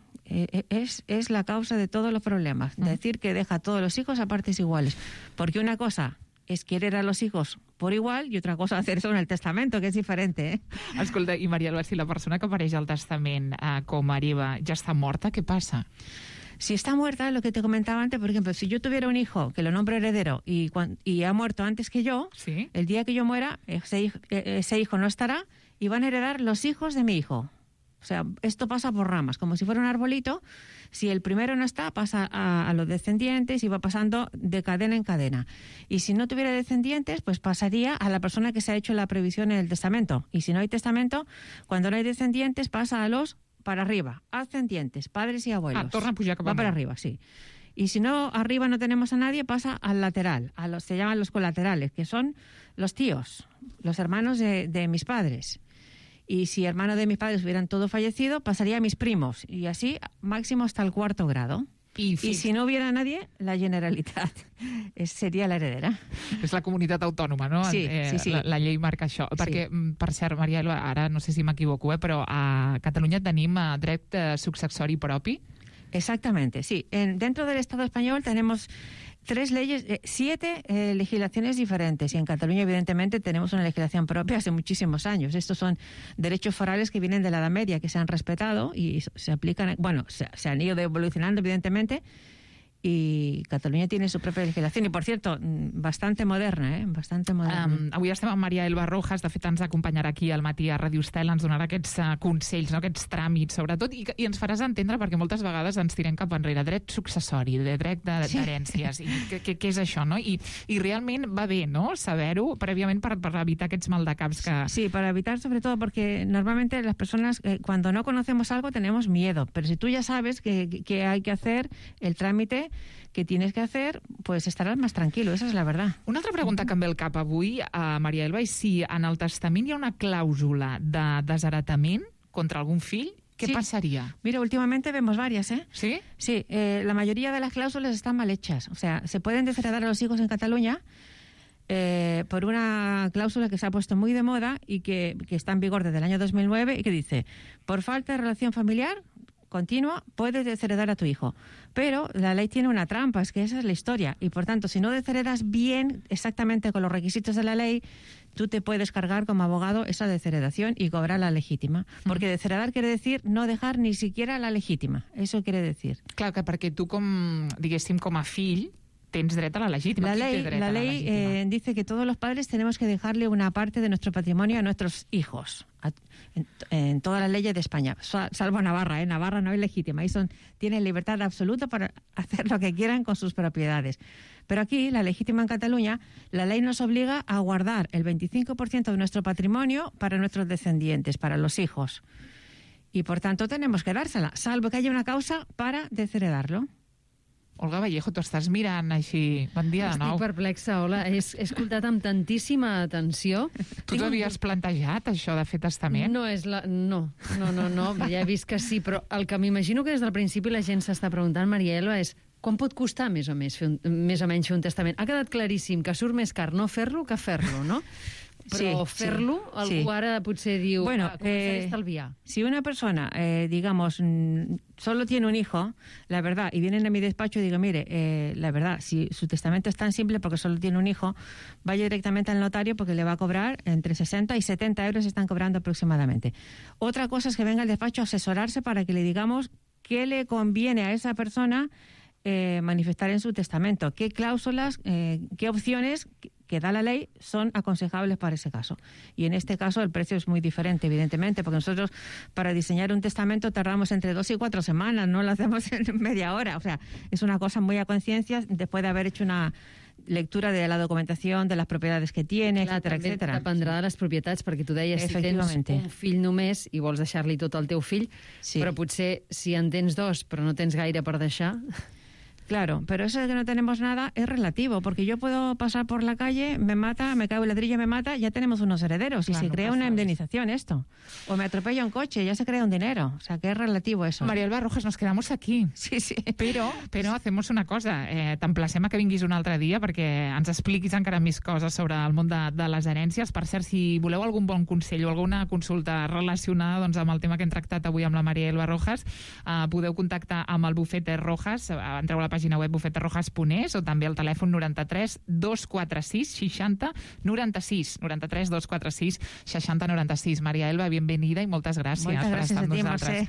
Es la causa de todos los problemas. Decir que deja a todos los hijos a partes iguales. Porque una cosa es querer a los hijos por igual y otra cosa hacer eso en el testamento, que és diferent, eh? Escolta, i Maria Alba, si la persona que apareix al testament com a hereva ja està morta, què passa? Si está muerta, lo que te comentaba antes, por ejemplo, si yo tuviera un hijo que lo nombro heredero y ha muerto antes que yo, ¿sí? El día que yo muera, ese hijo no estará y van a heredar los hijos de mi hijo. O sea, esto pasa por ramas, como si fuera un arbolito. Si el primero no está, pasa a los descendientes y va pasando de cadena en cadena. Y si no tuviera descendientes, pues pasaría a la persona que se ha hecho la previsión en el testamento. Y si no hay testamento, cuando no hay descendientes, pasa a los para arriba, ascendientes, padres y abuelos. Torna a pujar cap amunt. Va para arriba, sí. Y si no, arriba no tenemos a nadie, pasa al lateral, se llaman los colaterales, que son los tíos, los hermanos de mis padres. Y si hermanos de mis padres hubieran todos fallecido, pasaría a mis primos. Y así, máximo hasta el 4º grado. Y si no hubiera nadie, la Generalitat seria l'heredera. És la comunitat autònoma, no? Sí, sí. La llei marca això. Sí. Perquè, per cert, Maria Alba, ara no sé si m'equivoco, però a Catalunya tenim dret successori propi? Exactamente, sí. Dentro del Estado español tenemos 7 legislaciones diferentes y en Cataluña evidentemente tenemos una legislación propia hace muchísimos años. Estos son derechos forales que vienen de la Edad Media, que se han respetado y se aplican, bueno, se han ido evolucionando evidentemente, i Catalunya tiene su propia legislación i, por cierto, bastante moderna, bastante moderna. Avui estem amb Maria Elba Rojas, de fet ens acompanyarà aquí al matí a Ràdio Estel, ens donarà aquests consells, no? Aquests tràmits, sobretot, i ens faràs entendre, perquè moltes vegades ens tirem cap enrere, dret successori, de dret d'herències, i què és això, no? I realment va bé, ¿no?, saber-ho prèviament per evitar aquests maldecaps que... Sí, para evitar, sobre todo, porque normalmente las personas, cuando no conocemos algo, tenemos miedo, pero si tú ya sabes que hay que hacer el trámite que tienes que hacer, pues estaràs més tranquil·lo, esa és la verdad. Una altra pregunta que em ve al cap avui, Maria Elba, és si en el testament hi ha una clàusula de desheretament contra algún fill, ¿qué pasaría? Mira, últimamente vemos varias, ¿eh? ¿Sí? Sí, la mayoría de las cláusulas están mal hechas. O sea, se pueden desheredar a los hijos en Cataluña por una cláusula que se ha puesto muy de moda y que está en vigor desde el año 2009 y que dice, por falta de relación familiar continua, puedes desheredar a tu hijo. Pero la ley tiene una trampa, es que esa es la historia. Y por tanto, si no desheredas bien, exactamente con los requisitos de la ley, tú te puedes cargar como abogado esa desheredación y cobrar la legítima. Porque desheredar quiere decir no dejar ni siquiera la legítima. Eso quiere decir. Clar, que perquè tu, diguéssim, com a fill, tens dret a la legítima. La ley dice que todos los padres tenemos que dejarle una parte de nuestro patrimonio a nuestros hijos. En todas las leyes de España, salvo Navarra, Navarra no es legítima, ahí tienen libertad absoluta para hacer lo que quieran con sus propiedades. Pero aquí, la legítima en Cataluña, la ley nos obliga a guardar el 25% de nuestro patrimonio para nuestros descendientes, para los hijos. Y por tanto tenemos que dársela, salvo que haya una causa para desheredarlo. Olga Vallejo, tu estàs mirant així. Bon dia de nou. Estic perplexa, hola. He escoltat amb tantíssima atenció. Tu t'havies plantejat, això, de fer testament? No, ja he vist que sí, però el que m'imagino que des del principi la gent s'està preguntant, Maria Elba, és quan pot costar més o menys fer un testament? Ha quedat claríssim que surt més car no fer-lo que fer-lo, no? Però fer-lo, algú ara potser diu, començaré a estalviar. Si una persona, digamos, solo tiene un hijo, la verdad, y vienen a mi despacho y digo, mire, la verdad, si su testamento es tan simple porque solo tiene un hijo, vaya directamente al notario porque le va a cobrar entre 60 y 70 euros, están cobrando aproximadamente. Otra cosa es que venga al despacho a asesorarse para que le digamos qué le conviene a esa persona manifestar en su testamento, qué cláusulas, qué opciones que da la ley son aconsejables para ese caso. Y en este caso el precio es muy diferente, evidentemente, porque nosotros para diseñar un testamento tardamos entre 2 y 4 semanas, no lo hacemos en media hora. O sea, es una cosa muy a conciencia después de haber hecho una lectura de la documentación, de les propiedades que tiene, etcètera, etcètera. Dependrà de les propietats, perquè tu deies, si tens un fill només i vols deixar-li tot al teu fill, però potser si en tens 2 però no tens gaire per deixar... Claro, pero eso de que no tenemos nada es relativo, porque yo puedo pasar por la calle, me mata, me cae un ladrillo, me mata, ya tenemos unos herederos, claro, y se crea una indemnización esto. O me atropella un coche, ya se crea un dinero. O sea, que es relativo eso. María Elba Rojas, nos quedamos aquí. Sí, sí. Però hacemos una cosa. T'emplacem a que vinguis un altre dia perquè ens expliquis encara més coses sobre el món de les herències. Per cert, si voleu algun bon consell o alguna consulta relacionada amb el tema que hem tractat avui amb la María Elba Rojas, podeu contactar amb el Bufete Rojas. Entreu a la pàgina web bufeterrojas.es o també al telèfon 93 246 60 96 93 246 60 96. Maria Elba, benvenida i moltes gràcies per estar amb nosaltres.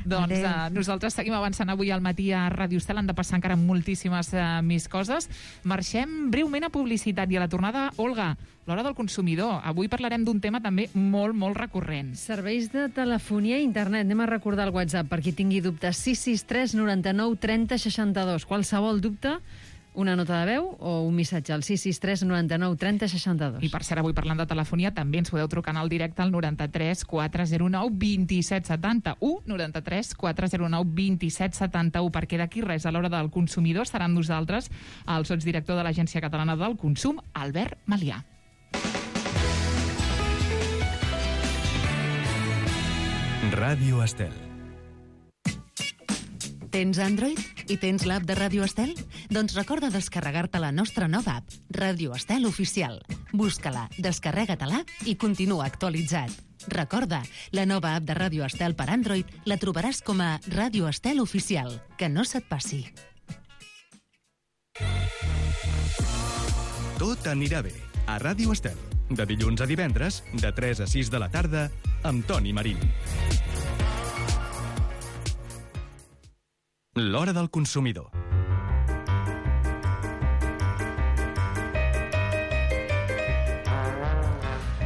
Doncs nosaltres seguim avançant avui al matí a Ràdio Estel, han de passar encara moltíssimes més coses. Marxem breument a publicitat i a la tornada, Olga, l'hora del consumidor. Avui parlarem d'un tema també molt, molt recurrent. Serveis de telefonia i internet. Anem a recordar el WhatsApp per qui tingui dubtes. 663 99 30 62. Qualsevol dubte, una nota de veu o un missatge al 663 99 30 62. I per cert, avui parlant de telefonia, també ens podeu trucar al directe al 93 409 27 71, 93 409 27 71, perquè d'aquí res, a l'hora del consumidor, estarà amb nosaltres el sotsdirector de l'Agència Catalana del Consum, Albert Malià. Ràdio Estel. Tens Android i tens l'app de Ràdio Estel? Doncs recorda descarregar-te la nostra nova app, Ràdio Estel Oficial. Busca-la, descarrega-te-la i continua actualitzat. Recorda, la nova app de Ràdio Estel per Android la trobaràs com a Ràdio Estel Oficial. Que no se't passi. Tot anirà bé a Ràdio Estel. De dilluns a divendres, de 3 a 6 de la tarda, amb Toni Marín. L'hora del consumidor.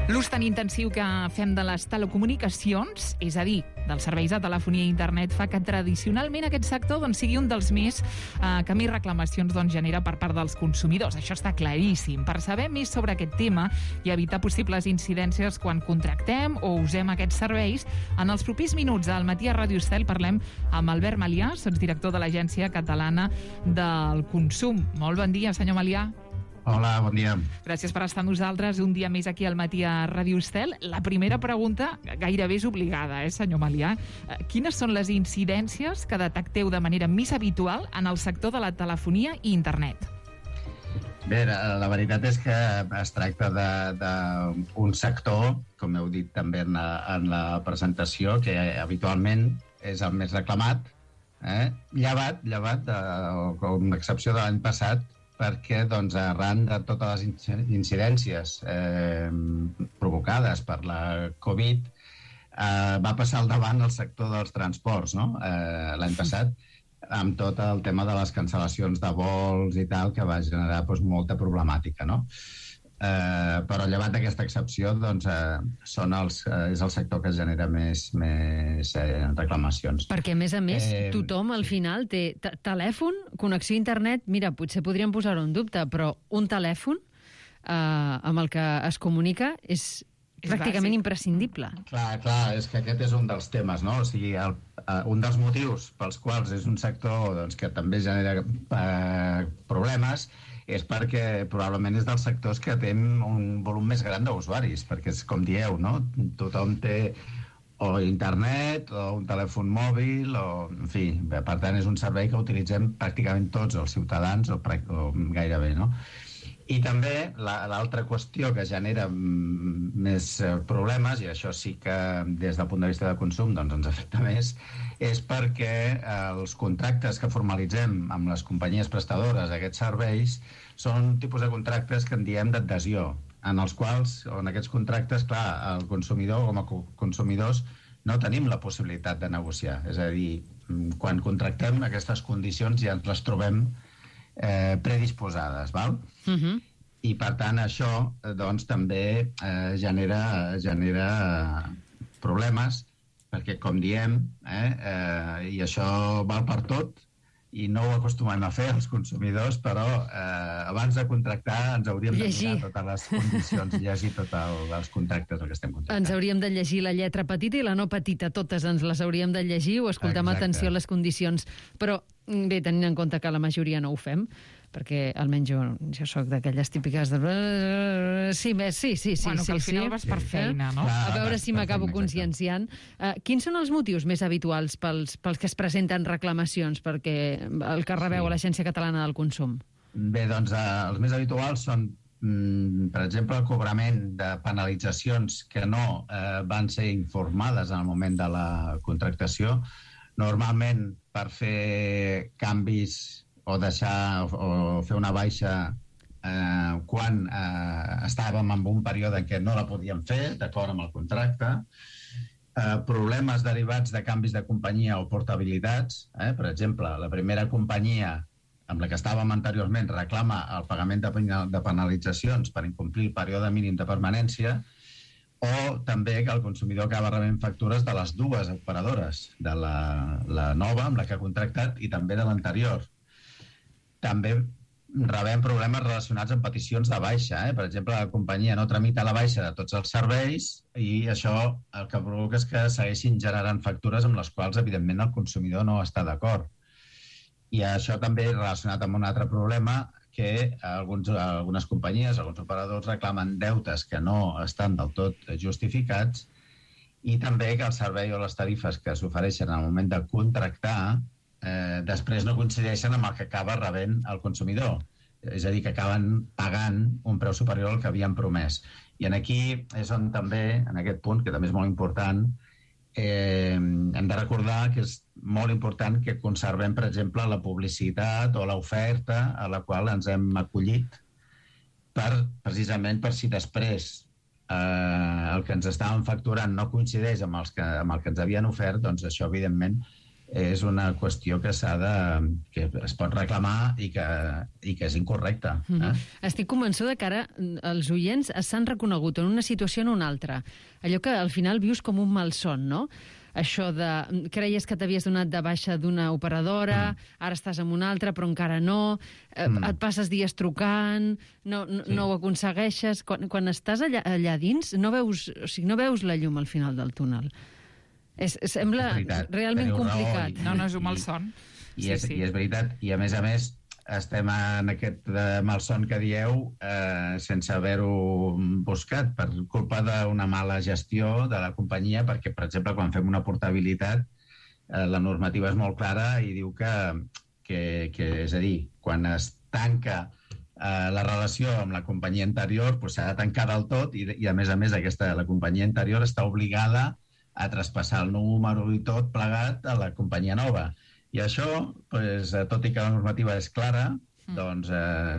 L'ús tan intensiu que fem de les telecomunicacions, és a dir, dels serveis de telefonia i internet, fa que tradicionalment aquest sector sigui un dels més que més reclamacions genera per part dels consumidors. Això està claríssim. Per saber més sobre aquest tema i evitar possibles incidències quan contractem o usem aquests serveis, en els propers minuts al matí a Ràdio Estel parlem amb Albert Malià, sotsdirector de l'Agència Catalana del Consum. Molt bon dia, senyor Malià. Hola, bon dia. Gràcies per estar amb nosaltres un dia més aquí al matí a Ràdio Estel. La primera pregunta gairebé és obligada, senyor Malià. Quines són les incidències que detecteu de manera més habitual en el sector de la telefonia i internet? Bé, la veritat és que es tracta d'un sector, com heu dit també en la presentació, que habitualment és el més reclamat, llevat, com l'excepció de l'any passat, perquè arran de totes les incidències provocades per la Covid va passar al davant el sector dels transports, no? L'any passat, amb tot el tema de les cancel·lacions de vols i tal, que va generar molta problemàtica, no? Però llevat d'aquesta excepció és el sector que genera més reclamacions. Perquè a més, tothom al final té telèfon, connexió a internet. Mira, potser podríem posar-ho en dubte, però un telèfon amb el que es comunica és pràcticament imprescindible. Clar, és que aquest és un dels temes, no? O sigui, un dels motius pels quals és un sector que també genera problemes és perquè probablement és dels sectors que tenen un volum més gran d'usuaris, perquè és com dieu, no? Tothom té o internet o un telèfon mòbil, en fi, per tant és un servei que utilitzem pràcticament tots els ciutadans o gairebé, no? I també l'altra qüestió que genera més problemes, i això sí que des del punt de vista de consum doncs ens afecta més, és perquè els contractes que formalitzem amb les companyies prestadores d'aquests serveis són un tipus de contractes que en diem d'adhesió, en els quals, en aquests contractes, clar, el consumidor com a consumidors no tenim la possibilitat de negociar. És a dir, quan contractem aquestes condicions ja ens les trobem predisposades, val? I per tant això doncs també genera problemes, perquè com diem, i això val per tot, i no ho acostumem a fer els consumidors, però abans de contractar ens hauríem de mirar totes les condicions, llegir tots els contractes que estem contractant. Ens hauríem de llegir la lletra petita i la no petita, totes ens les hauríem de llegir o escoltar amb atenció les condicions. Però bé, tenint en compte que la majoria no ho fem, perquè almenys jo soc d'aquelles típiques de... Sí, bueno, que al final vas per feina, no? A veure si m'acabo conscienciant. Quins són els motius més habituals pels que es presenten reclamacions perquè el que rebeu a l'Agència Catalana del Consum? Bé, doncs els més habituals són, per exemple, el cobrament de penalitzacions que no van ser informades en el moment de la contractació. Normalment, per fer canvis o deixar o fer una baixa quan estàvem en un període en què no la podíem fer, d'acord amb el contracte, problemes derivats de canvis de companyia o portabilitats. Per exemple, la primera companyia amb la que estàvem anteriorment reclama el pagament de penalitzacions per incomplir el període mínim de permanència, o també que el consumidor acaba rebent factures de les dues operadores, de la nova amb la que ha contractat i també de l'anterior. També rebem problemes relacionats amb peticions de baixa. Per exemple, la companyia no tramita la baixa de tots els serveis i això el que provoca és que segueixin generant factures amb les quals, evidentment, el consumidor no està d'acord. I això també relacionat amb un altre problema, que algunes companyies, alguns operadors reclamen deutes que no estan del tot justificats, i també que el servei o les tarifes que s'ofereixen al moment de contractar després no coincideixen amb el que acaba rebent el consumidor. És a dir, que acaben pagant un preu superior al que havien promès. I aquí és on també, en aquest punt, que també és molt important, hem de recordar que és molt important que conservem, per exemple, la publicitat o l'oferta a la qual ens hem acollit precisament per si després el que ens estaven facturant no coincideix amb el que ens havien ofert, doncs això, evidentment, és una qüestió que es pot reclamar i que és incorrecta. Estic convençuda que ara els oients s'han reconegut en una situació o en una altra. Allò que al final vius com un malson, no? Això de creies que t'havies donat de baixa d'una operadora, ara estàs amb una altra però encara no, et passes dies trucant, no ho aconsegueixes. Quan estàs allà dins no veus la llum al final del túnel. Sembla realment complicat. No és un malson. I és veritat. I a més, estem en aquest malson que dieu sense haver-ho buscat per culpa d'una mala gestió de la companyia, perquè, per exemple, quan fem una portabilitat, la normativa és molt clara i diu que és a dir, quan es tanca la relació amb la companyia anterior s'ha de tancar del tot i a més, la companyia anterior està obligada a traspassar el número i tot plegat a la companyia nova. I això, tot i que la normativa és clara, doncs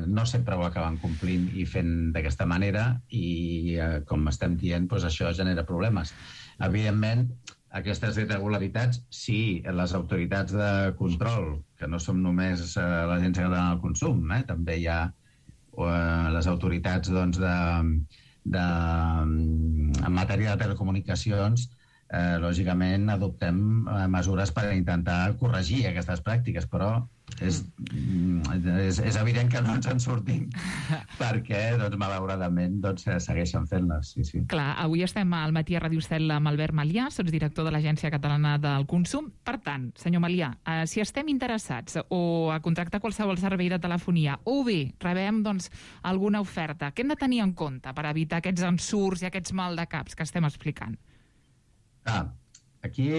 no sempre ho acaben complint i fent d'aquesta manera i, com estem dient, això genera problemes. Evidentment, aquestes irregularitats, sí, les autoritats de control, que no som només l'Agència Catalana del Consum, també hi ha les autoritats en matèria de telecomunicacions, lògicament adoptem mesures per intentar corregir aquestes pràctiques, però és evident que no ens en sortim perquè, malauradament, segueixen fent-les. Sí. Clar, avui estem al matí a Ràdio Estel amb Albert Malià, sotsdirector de l'Agència Catalana del Consum. Per tant, senyor Malià, si estem interessats o a contractar qualsevol servei de telefonia o bé rebem alguna oferta, què hem de tenir en compte per evitar aquests ensurts i aquests maldecaps que estem explicant? Aquí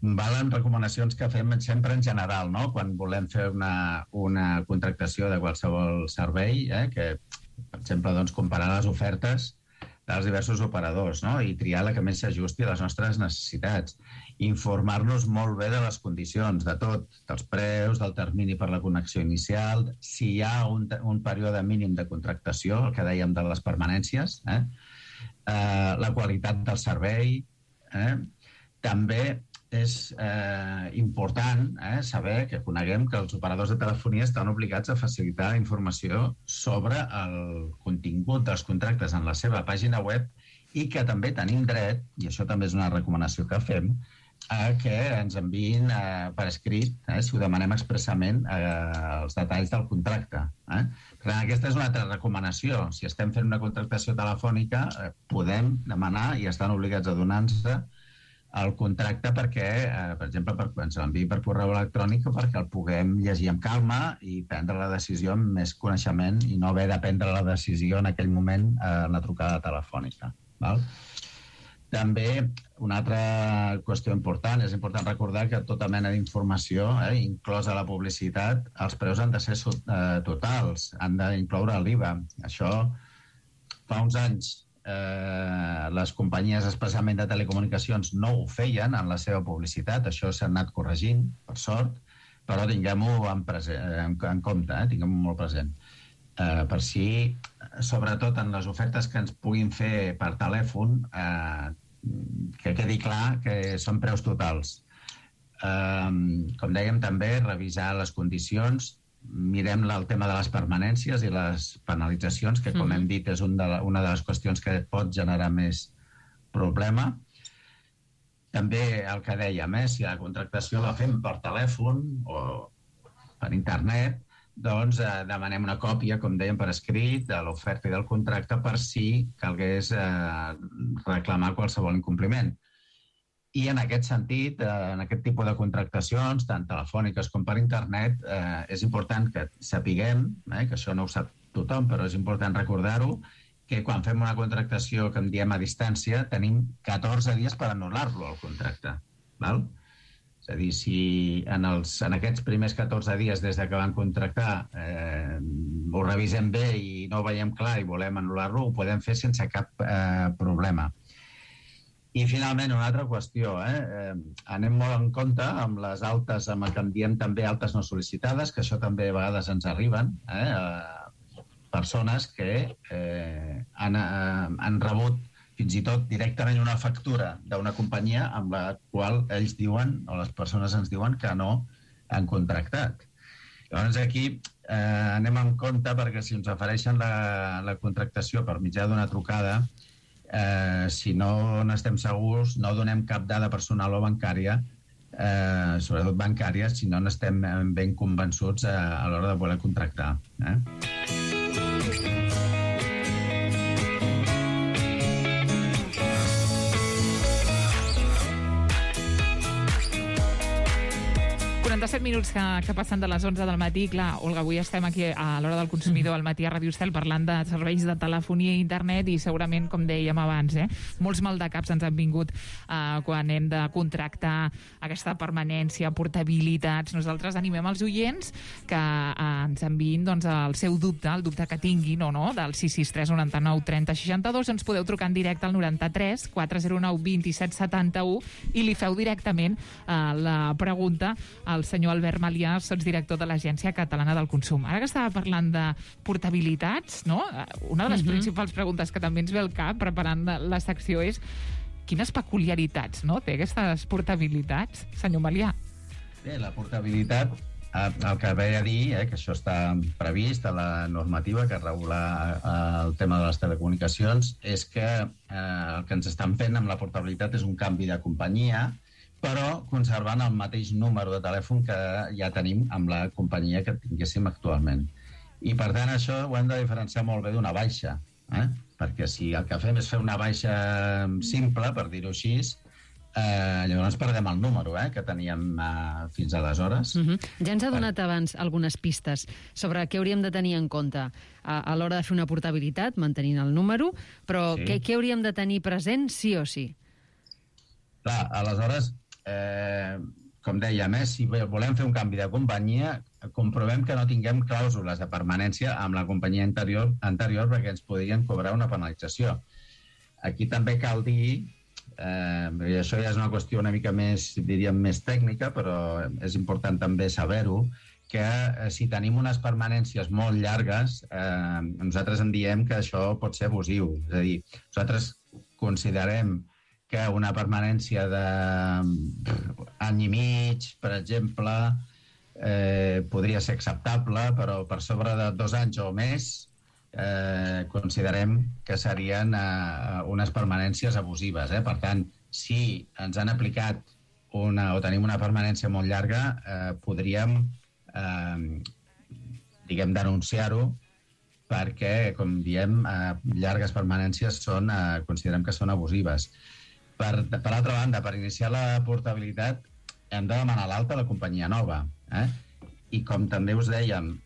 valen recomanacions que fem sempre en general, no? Quan volem fer una contractació de qualsevol servei, que, per exemple, doncs, comparar les ofertes dels diversos operadors, no? I triar la que més s'ajusti a les nostres necessitats. Informar-nos molt bé de les condicions, de tot, dels preus, del termini per la connexió inicial, si hi ha un període mínim de contractació, el que dèiem de les permanències, la qualitat del servei. També és important saber que coneguem que els operadors de telefonia estan obligats a facilitar informació sobre el contingut dels contractes en la seva pàgina web i que també tenim dret, i això també és una recomanació que fem, a que ens enviïn per escrit, si ho demanem expressament, els detalls del contracte. Per tant, aquesta és una altra recomanació. Si estem fent una contractació telefònica, podem demanar i estan obligats a donar-nos el contracte perquè, per exemple, ens l'enviï per correu electrònic o perquè el puguem llegir amb calma i prendre la decisió amb més coneixement i no haver de prendre la decisió en aquell moment en la trucada telefònica. També, una altra qüestió important, és important recordar que tota mena d'informació, inclosa la publicitat, els preus han de ser totals, han d'incloure l'IVA. Això fa uns anys les companyies especialment de telecomunicacions no ho feien en la seva publicitat, això s'ha anat corregint, per sort, però tinguem-ho en compte, tinguem-ho molt present. Per si, sobretot en les ofertes que ens puguin fer per telèfon, que quedi clar que són preus totals. Com dèiem també, revisar les condicions, mirem el tema de les permanències i les penalitzacions, que, com hem dit, és una de les qüestions que pot generar més problema. També el que dèiem, si la contractació la fem per telèfon o per internet, doncs demanem una còpia, com dèiem, per escrit, de l'oferta i del contracte per si calgués reclamar qualsevol incompliment. I en aquest sentit, en aquest tipus de contractacions, tant telefòniques com per internet, és important que sapiguem, que això no ho sap tothom, però és important recordar-ho, que quan fem una contractació que en diem a distància, tenim 14 dies per anul·lar-lo, el contracte. És a dir, si en aquests primers 14 dies des que van contractar ho revisem bé i no ho veiem clar i volem anul·lar-lo, ho podem fer sense cap problema. I, finalment, una altra qüestió. Anem molt en compte amb les altes, amb el que en diem també altes no sol·licitades, que això també a vegades ens arriben, persones que han rebut fins i tot directament una factura d'una companyia amb la qual ells diuen, o les persones ens diuen, que no han contractat. Llavors, aquí anem en compte perquè si ens ofereixen la contractació per mitjà d'una trucada, si no n'estem segurs, no donem cap dada personal o bancària, sobretot bancària, si no n'estem ben convençuts a l'hora de voler contractar. 47 minuts que passen de les 11 del matí. Clar, Olga, avui estem aquí a l'hora del consumidor al matí a Ràdio Estel parlant de serveis de telefonia i internet i segurament, com dèiem abans, molts maldecaps ens han vingut quan hem de contractar aquesta permanència, portabilitats. Nosaltres animem els oients que ens enviïn el seu dubte, el dubte que tinguin o no, del 663 99 30 62. Ens podeu trucar en directe al 93 409 27 71 i li feu directament la pregunta al senyor Albert Malià, sotsdirector de l'Agència Catalana del Consum. Ara que estava parlant de portabilitats, no? Una de les principals preguntes que també ens ve al cap preparant la secció és quines peculiaritats té aquestes portabilitats, senyor Malià? Bé, la portabilitat, el que ve a dir, que això està previst a la normativa que regula el tema de les telecomunicacions, és que el que ens estan fent amb la portabilitat és un canvi de companyia, però conservant el mateix número de telèfon que ja tenim amb la companyia que tinguéssim actualment. I, per tant, això ho hem de diferenciar molt bé d'una baixa, perquè si el que fem és fer una baixa simple, per dir-ho així, llavors perdem el número que teníem fins aleshores. Ja ens ha donat abans algunes pistes sobre què hauríem de tenir en compte a l'hora de fer una portabilitat, mantenint el número, però què hauríem de tenir present sí o sí? Clar, aleshores, com dèiem, si volem fer un canvi de companyia, comprovem que no tinguem clàusules de permanència amb la companyia anterior perquè ens podrien cobrar una penalització. Aquí també cal dir, i això ja és una qüestió una mica més, diríem, més tècnica, però és important també saber-ho, que si tenim unes permanències molt llargues, nosaltres en diem que això pot ser abusiu. És a dir, nosaltres considerem que una permanència d'any i mig, per exemple, podria ser acceptable, però per sobre de 2 anys o més considerem que serien unes permanències abusives. Per tant, si ens han aplicat o tenim una permanència molt llarga, podríem denunciar-ho, perquè, com diem, llargues permanències considerem que són abusives. Per altra banda, per iniciar la portabilitat hem de demanar l'alta a la companyia nova. I com també us dèiem,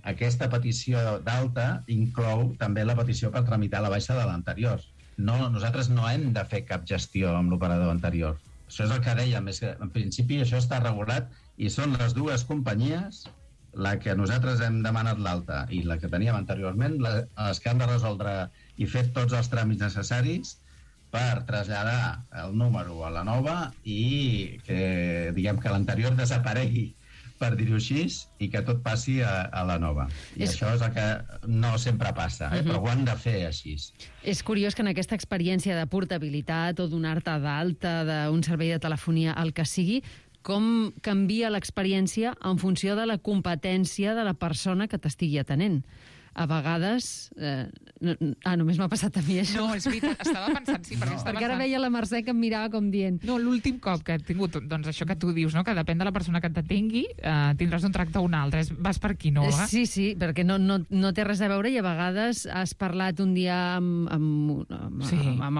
aquesta petició d'alta inclou també la petició per tramitar la baixa de l'anterior. Nosaltres no hem de fer cap gestió amb l'operador anterior. Això és el que dèiem, és que en principi això està regulat i són les dues companyies, la que nosaltres hem demanat l'alta i la que teníem anteriorment, les que han de resoldre i fer tots els tràmits necessaris per traslladar el número a la nova i que, diguem, que l'anterior desaparegui, per dir-ho així, i que tot passi a la nova. I això és el que no sempre passa, però ho han de fer així. És curiós que en aquesta experiència de portabilitat o donar-te d'alta d'un servei de telefonia, el que sigui, com canvia l'experiència en funció de la competència de la persona que t'estigui atenent. A vegades... només m'ha passat a mi això. No, és veritat, estava pensant, sí, perquè ara veia la Mercè que em mirava com dient... No, l'últim cop que he tingut, doncs això que tu dius, no? Que depèn de la persona que t'atengui, tindràs un tracte o un altre, vas per aquí, no? Sí, perquè no té res a veure i a vegades has parlat un dia amb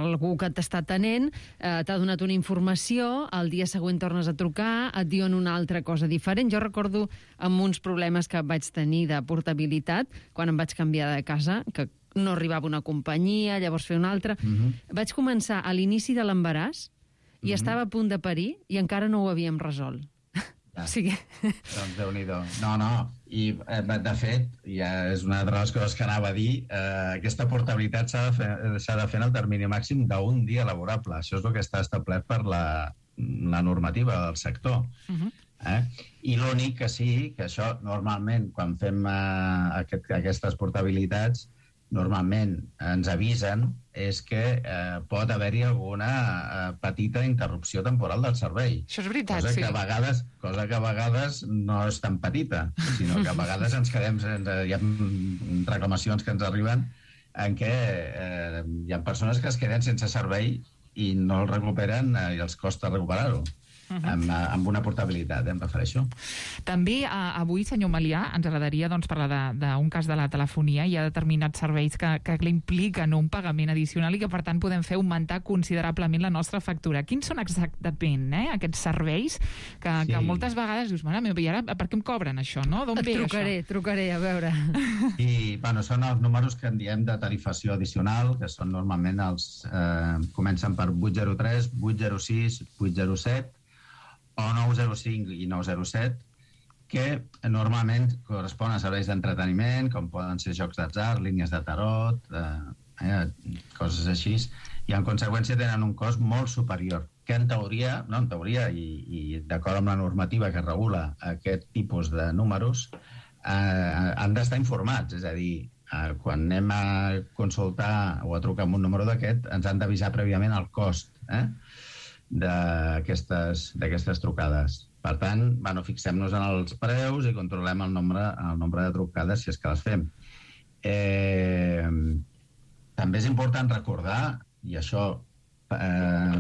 algú que t'està atenent, t'ha donat una informació, el dia següent tornes a trucar, et diuen una altra cosa diferent. Jo recordo amb uns problemes que vaig tenir de portabilitat, quan em vaig canviar de casa, que no arribava una companyia, llavors fer una altra. Vaig començar a l'inici de l'embaràs i estava a punt de parir i encara no ho havíem resolt. O sigui... Doncs Déu-n'hi-do. No. I, de fet, ja és una de les coses que anava a dir, aquesta portabilitat s'ha de fer en el termini màxim d'un dia laborable. Això és el que està establert per la normativa del sector. I l'únic que sí, que això normalment quan fem aquestes portabilitats normalment ens avisen és que pot haver-hi alguna petita interrupció temporal del servei. Això és veritat, cosa que a vegades no és tan petita, sinó que a vegades ens quedem, hi ha reclamacions que ens arriben en què hi ha persones que es queden sense servei i no el recuperen i els costa recuperar-ho. Amb una portabilitat, em refereixo. També avui, senyor Melià, ens agradaria parlar d'un cas de la telefonia. Hi ha determinats serveis que impliquen un pagament addicional i que, per tant, podem fer augmentar considerablement la nostra factura. Quins són exactament aquests serveis que moltes vegades dius, mare meva, i ara per què em cobren això, no? D'on ve això? Trucaré, a veure. I, són els números que en diem de tarifació addicional, que són normalment comencen per 803, 806, 807, o 905 i 907, que normalment correspon a serveis d'entreteniment, com poden ser jocs d'atzar, línies de tarot, coses així, i en conseqüència tenen un cost molt superior, que en teoria, i d'acord amb la normativa que regula aquest tipus de números, han d'estar informats, és a dir, quan anem a consultar o a trucar amb un número d'aquest, ens han d'avisar prèviament el cost, d'aquestes trucades. Per tant, fixem-nos en els preus i controlem el nombre de trucades si és que les fem. També és important recordar, i això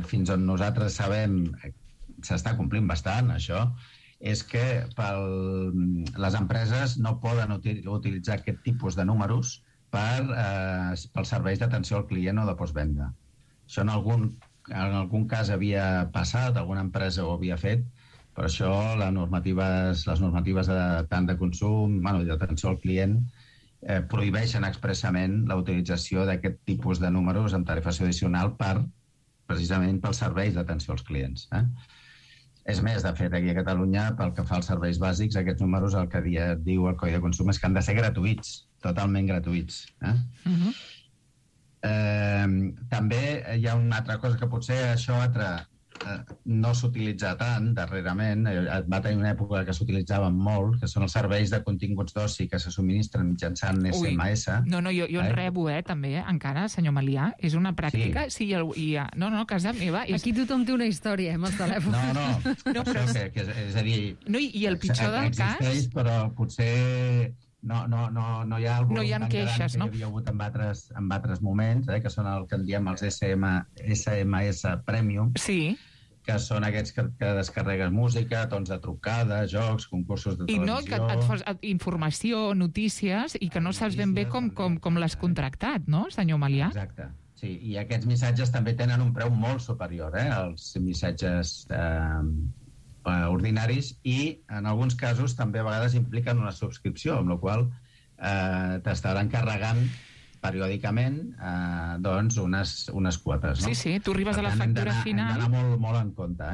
fins on nosaltres sabem s'està complint bastant, això, és que les empreses no poden utilitzar aquest tipus de números pels serveis d'atenció al client o de postvenda. Això en algun cas havia passat, alguna empresa ho havia fet, però això les normatives tant de consum i d'atenció al client prohibeixen expressament la utilització d'aquest tipus de números amb tarifació addicional precisament pels serveis d'atenció als clients. És més, de fet, aquí a Catalunya, pel que fa als serveis bàsics, aquests números, el que diu el Codi de Consum és que han de ser gratuïts, totalment gratuïts. També hi ha una altra cosa que potser això no s'utilitza tant darrerament, va tenir una època que s'utilitzaven molt, que són els serveis de continguts d'oci que se subministren mitjançant SMS. No, jo en rebo, també, encara, senyor Malià. És una pràctica. Sí, no, casa meva. Aquí tothom té una història, amb els telèfons. No, però és a dir... No, i el pitjor del cas... Existeix, però potser... No hi ha algun tan queixes, gran que hi havia hagut en altres moments, que són el que en diem els SMS Premium, que són aquests que descarregues música, tons de trucada, jocs, concursos de televisió... I no, que et fas informació, notícies, i que no saps ben bé com l'has contractat, no, senyor Malià? Exacte, sí, i aquests missatges també tenen un preu molt superior als missatges ordinaris, i en alguns casos també a vegades impliquen una subscripció, amb la qual t'estaran carregant periòdicament unes quotes. No? Sí, tu arribes a la factura final. Hem d'anar molt en compte.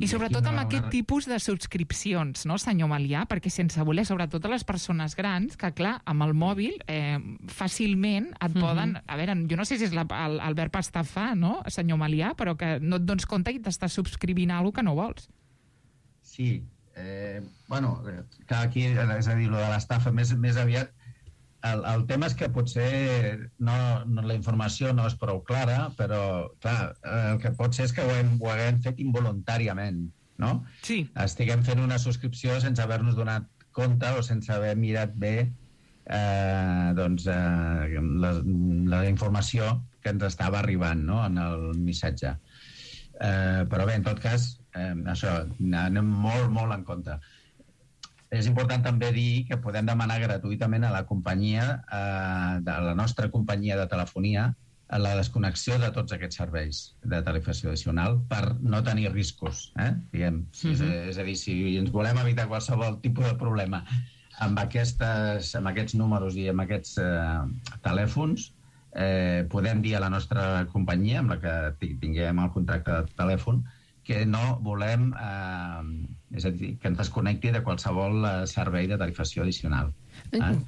I sobretot amb aquest tipus de subscripcions, no, senyor Malià? Perquè sense voler, sobretot a les persones grans, que clar, amb el mòbil fàcilment et poden... A veure, jo no sé si és el verb estafar, no, senyor Malià, però que no et dones compte i t'estàs subscrivint a alguna que no vols. Sí. Clar, aquí, és a dir, lo de l'estafa més aviat. El tema és que potser la informació no és prou clara, però clar, el que pot ser és que ho haguem fet involuntàriament, no? Sí. Estiguem fent una subscripció sense haver-nos donat compte o sense haver mirat bé la informació que ens estava arribant, no?, en el missatge. Però bé, en tot cas, això, anem molt en compte. És important també dir que podem demanar gratuïtament a la companyia, de la nostra companyia de telefonia, la desconnexió de tots aquests serveis de tarifació addicional per no tenir riscos, diguem. És a dir, si ens volem evitar qualsevol tipus de problema amb aquests números i amb aquests telèfons, podem dir a la nostra companyia, amb la que tinguem el contracte de telèfon, que no volem, és a dir, que ens desconnecti de qualsevol servei de tarifació addicional.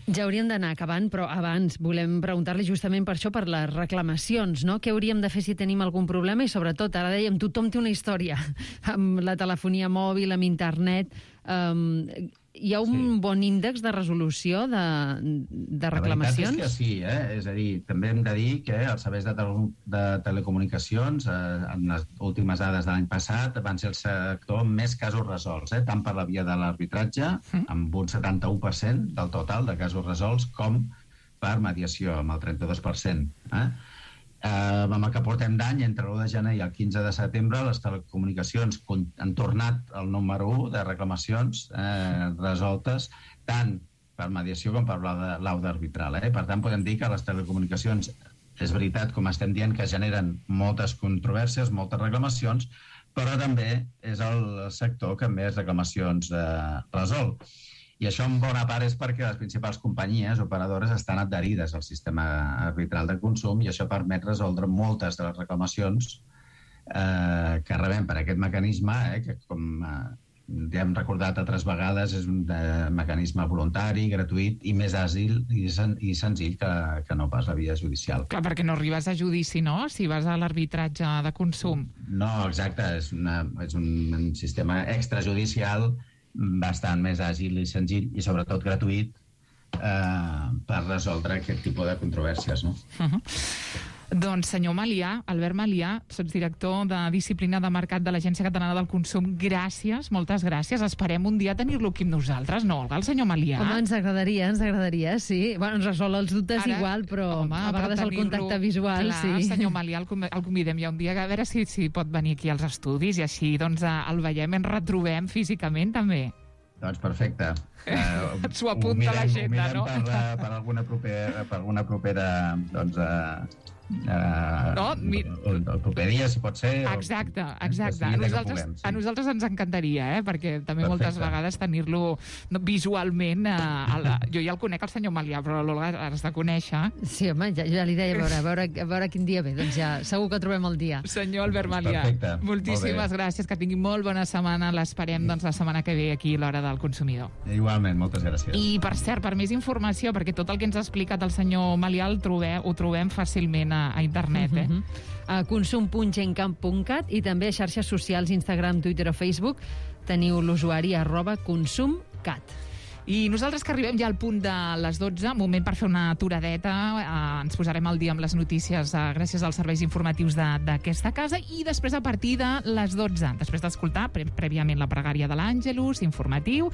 Ja hauríem d'anar acabant, però abans volem preguntar-li justament per això, per les reclamacions, no? Què hauríem de fer si tenim algun problema? I sobretot, ara dèiem, tothom té una història amb la telefonia mòbil, amb internet. Hi ha un bon índex de resolució de reclamacions? La veritat és que sí, és a dir, també hem de dir que els serveis de telecomunicacions, en les últimes dades de l'any passat, van ser el sector amb més casos resolts, tant per la via de l'arbitratge, amb un 71% del total de casos resolts, com per mediació, amb el 32%. Amb el que portem d'any, entre l'1 de gener i el 15 de setembre, les telecomunicacions han tornat al número 1 de reclamacions resoltes, tant per mediació com per lauda arbitral. Per tant, podem dir que les telecomunicacions, és veritat, com estem dient, que generen moltes controvèrsies, moltes reclamacions, però també és el sector que més reclamacions resol. I això en bona part és perquè les principals companyies operadores estan adherides al sistema arbitral de consum, i això permet resoldre moltes de les reclamacions que rebem per aquest mecanisme, que com ja hem recordat altres vegades és un mecanisme voluntari, gratuït i més àgil i senzill que no pas la via judicial. Clar, perquè no arribes a judici, no?, si vas a l'arbitratge de consum. No, exacte, és un sistema extrajudicial bastant més àgil i senzill i sobretot gratuït per resoldre aquest tipus de controvèrsies, no? Doncs, senyor Malià, Albert Malià, sotsdirector de Disciplina de Mercat de l'Agència Catalana del Consum, gràcies, moltes gràcies. Esperem un dia tenir-lo aquí amb nosaltres, no, Olga, el senyor Malià? Home, ens agradaria, sí. Bueno, ens resol els dubtes igual, però a vegades el contacte visual, clar, sí. Senyor Malià, el convidem ja un dia, a veure si pot venir aquí als estudis i així doncs el veiem, ens retrobem físicament també. Doncs perfecte. S'ho apunta l'agenda, no? Per alguna propera el proper dia, si pot ser. Exacte. A nosaltres ens encantaria, perquè també moltes vegades tenir-lo visualment. Jo ja el conec, el senyor Malià, però l'Olga has de conèixer. Sí, home, ja li deia, a veure quin dia ve. Doncs ja, segur que trobem el dia. Senyor Albert Malià, moltíssimes gràcies, que tingui molt bona setmana. L'esperem la setmana que ve aquí a l'Hora del Consumidor. Igualment, moltes gràcies. I, per cert, per més informació, perquè tot el que ens ha explicat el senyor Malià ho trobem fàcilment a internet. A consum.gencamp.cat i també a xarxes socials, Instagram, Twitter o Facebook, teniu l'usuari @consumcat. I nosaltres, que arribem ja al punt de les 12, moment per fer una aturadeta, ens posarem al dia amb les notícies gràcies als serveis informatius d'aquesta casa, i després, a partir de les 12, després d'escoltar prèviament la pregària de l'Àngelus, informatiu,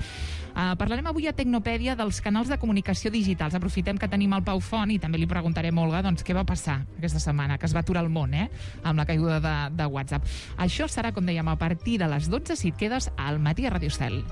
parlarem avui a Tecnopèdia dels canals de comunicació digitals. Aprofitem que tenim el Pau Font i també li preguntarem a Olga què va passar aquesta setmana, que es va aturar el món, amb la caiguda de WhatsApp. Això serà, com dèiem, a partir de les 12, si et quedes al Matí a Ràdio Estel.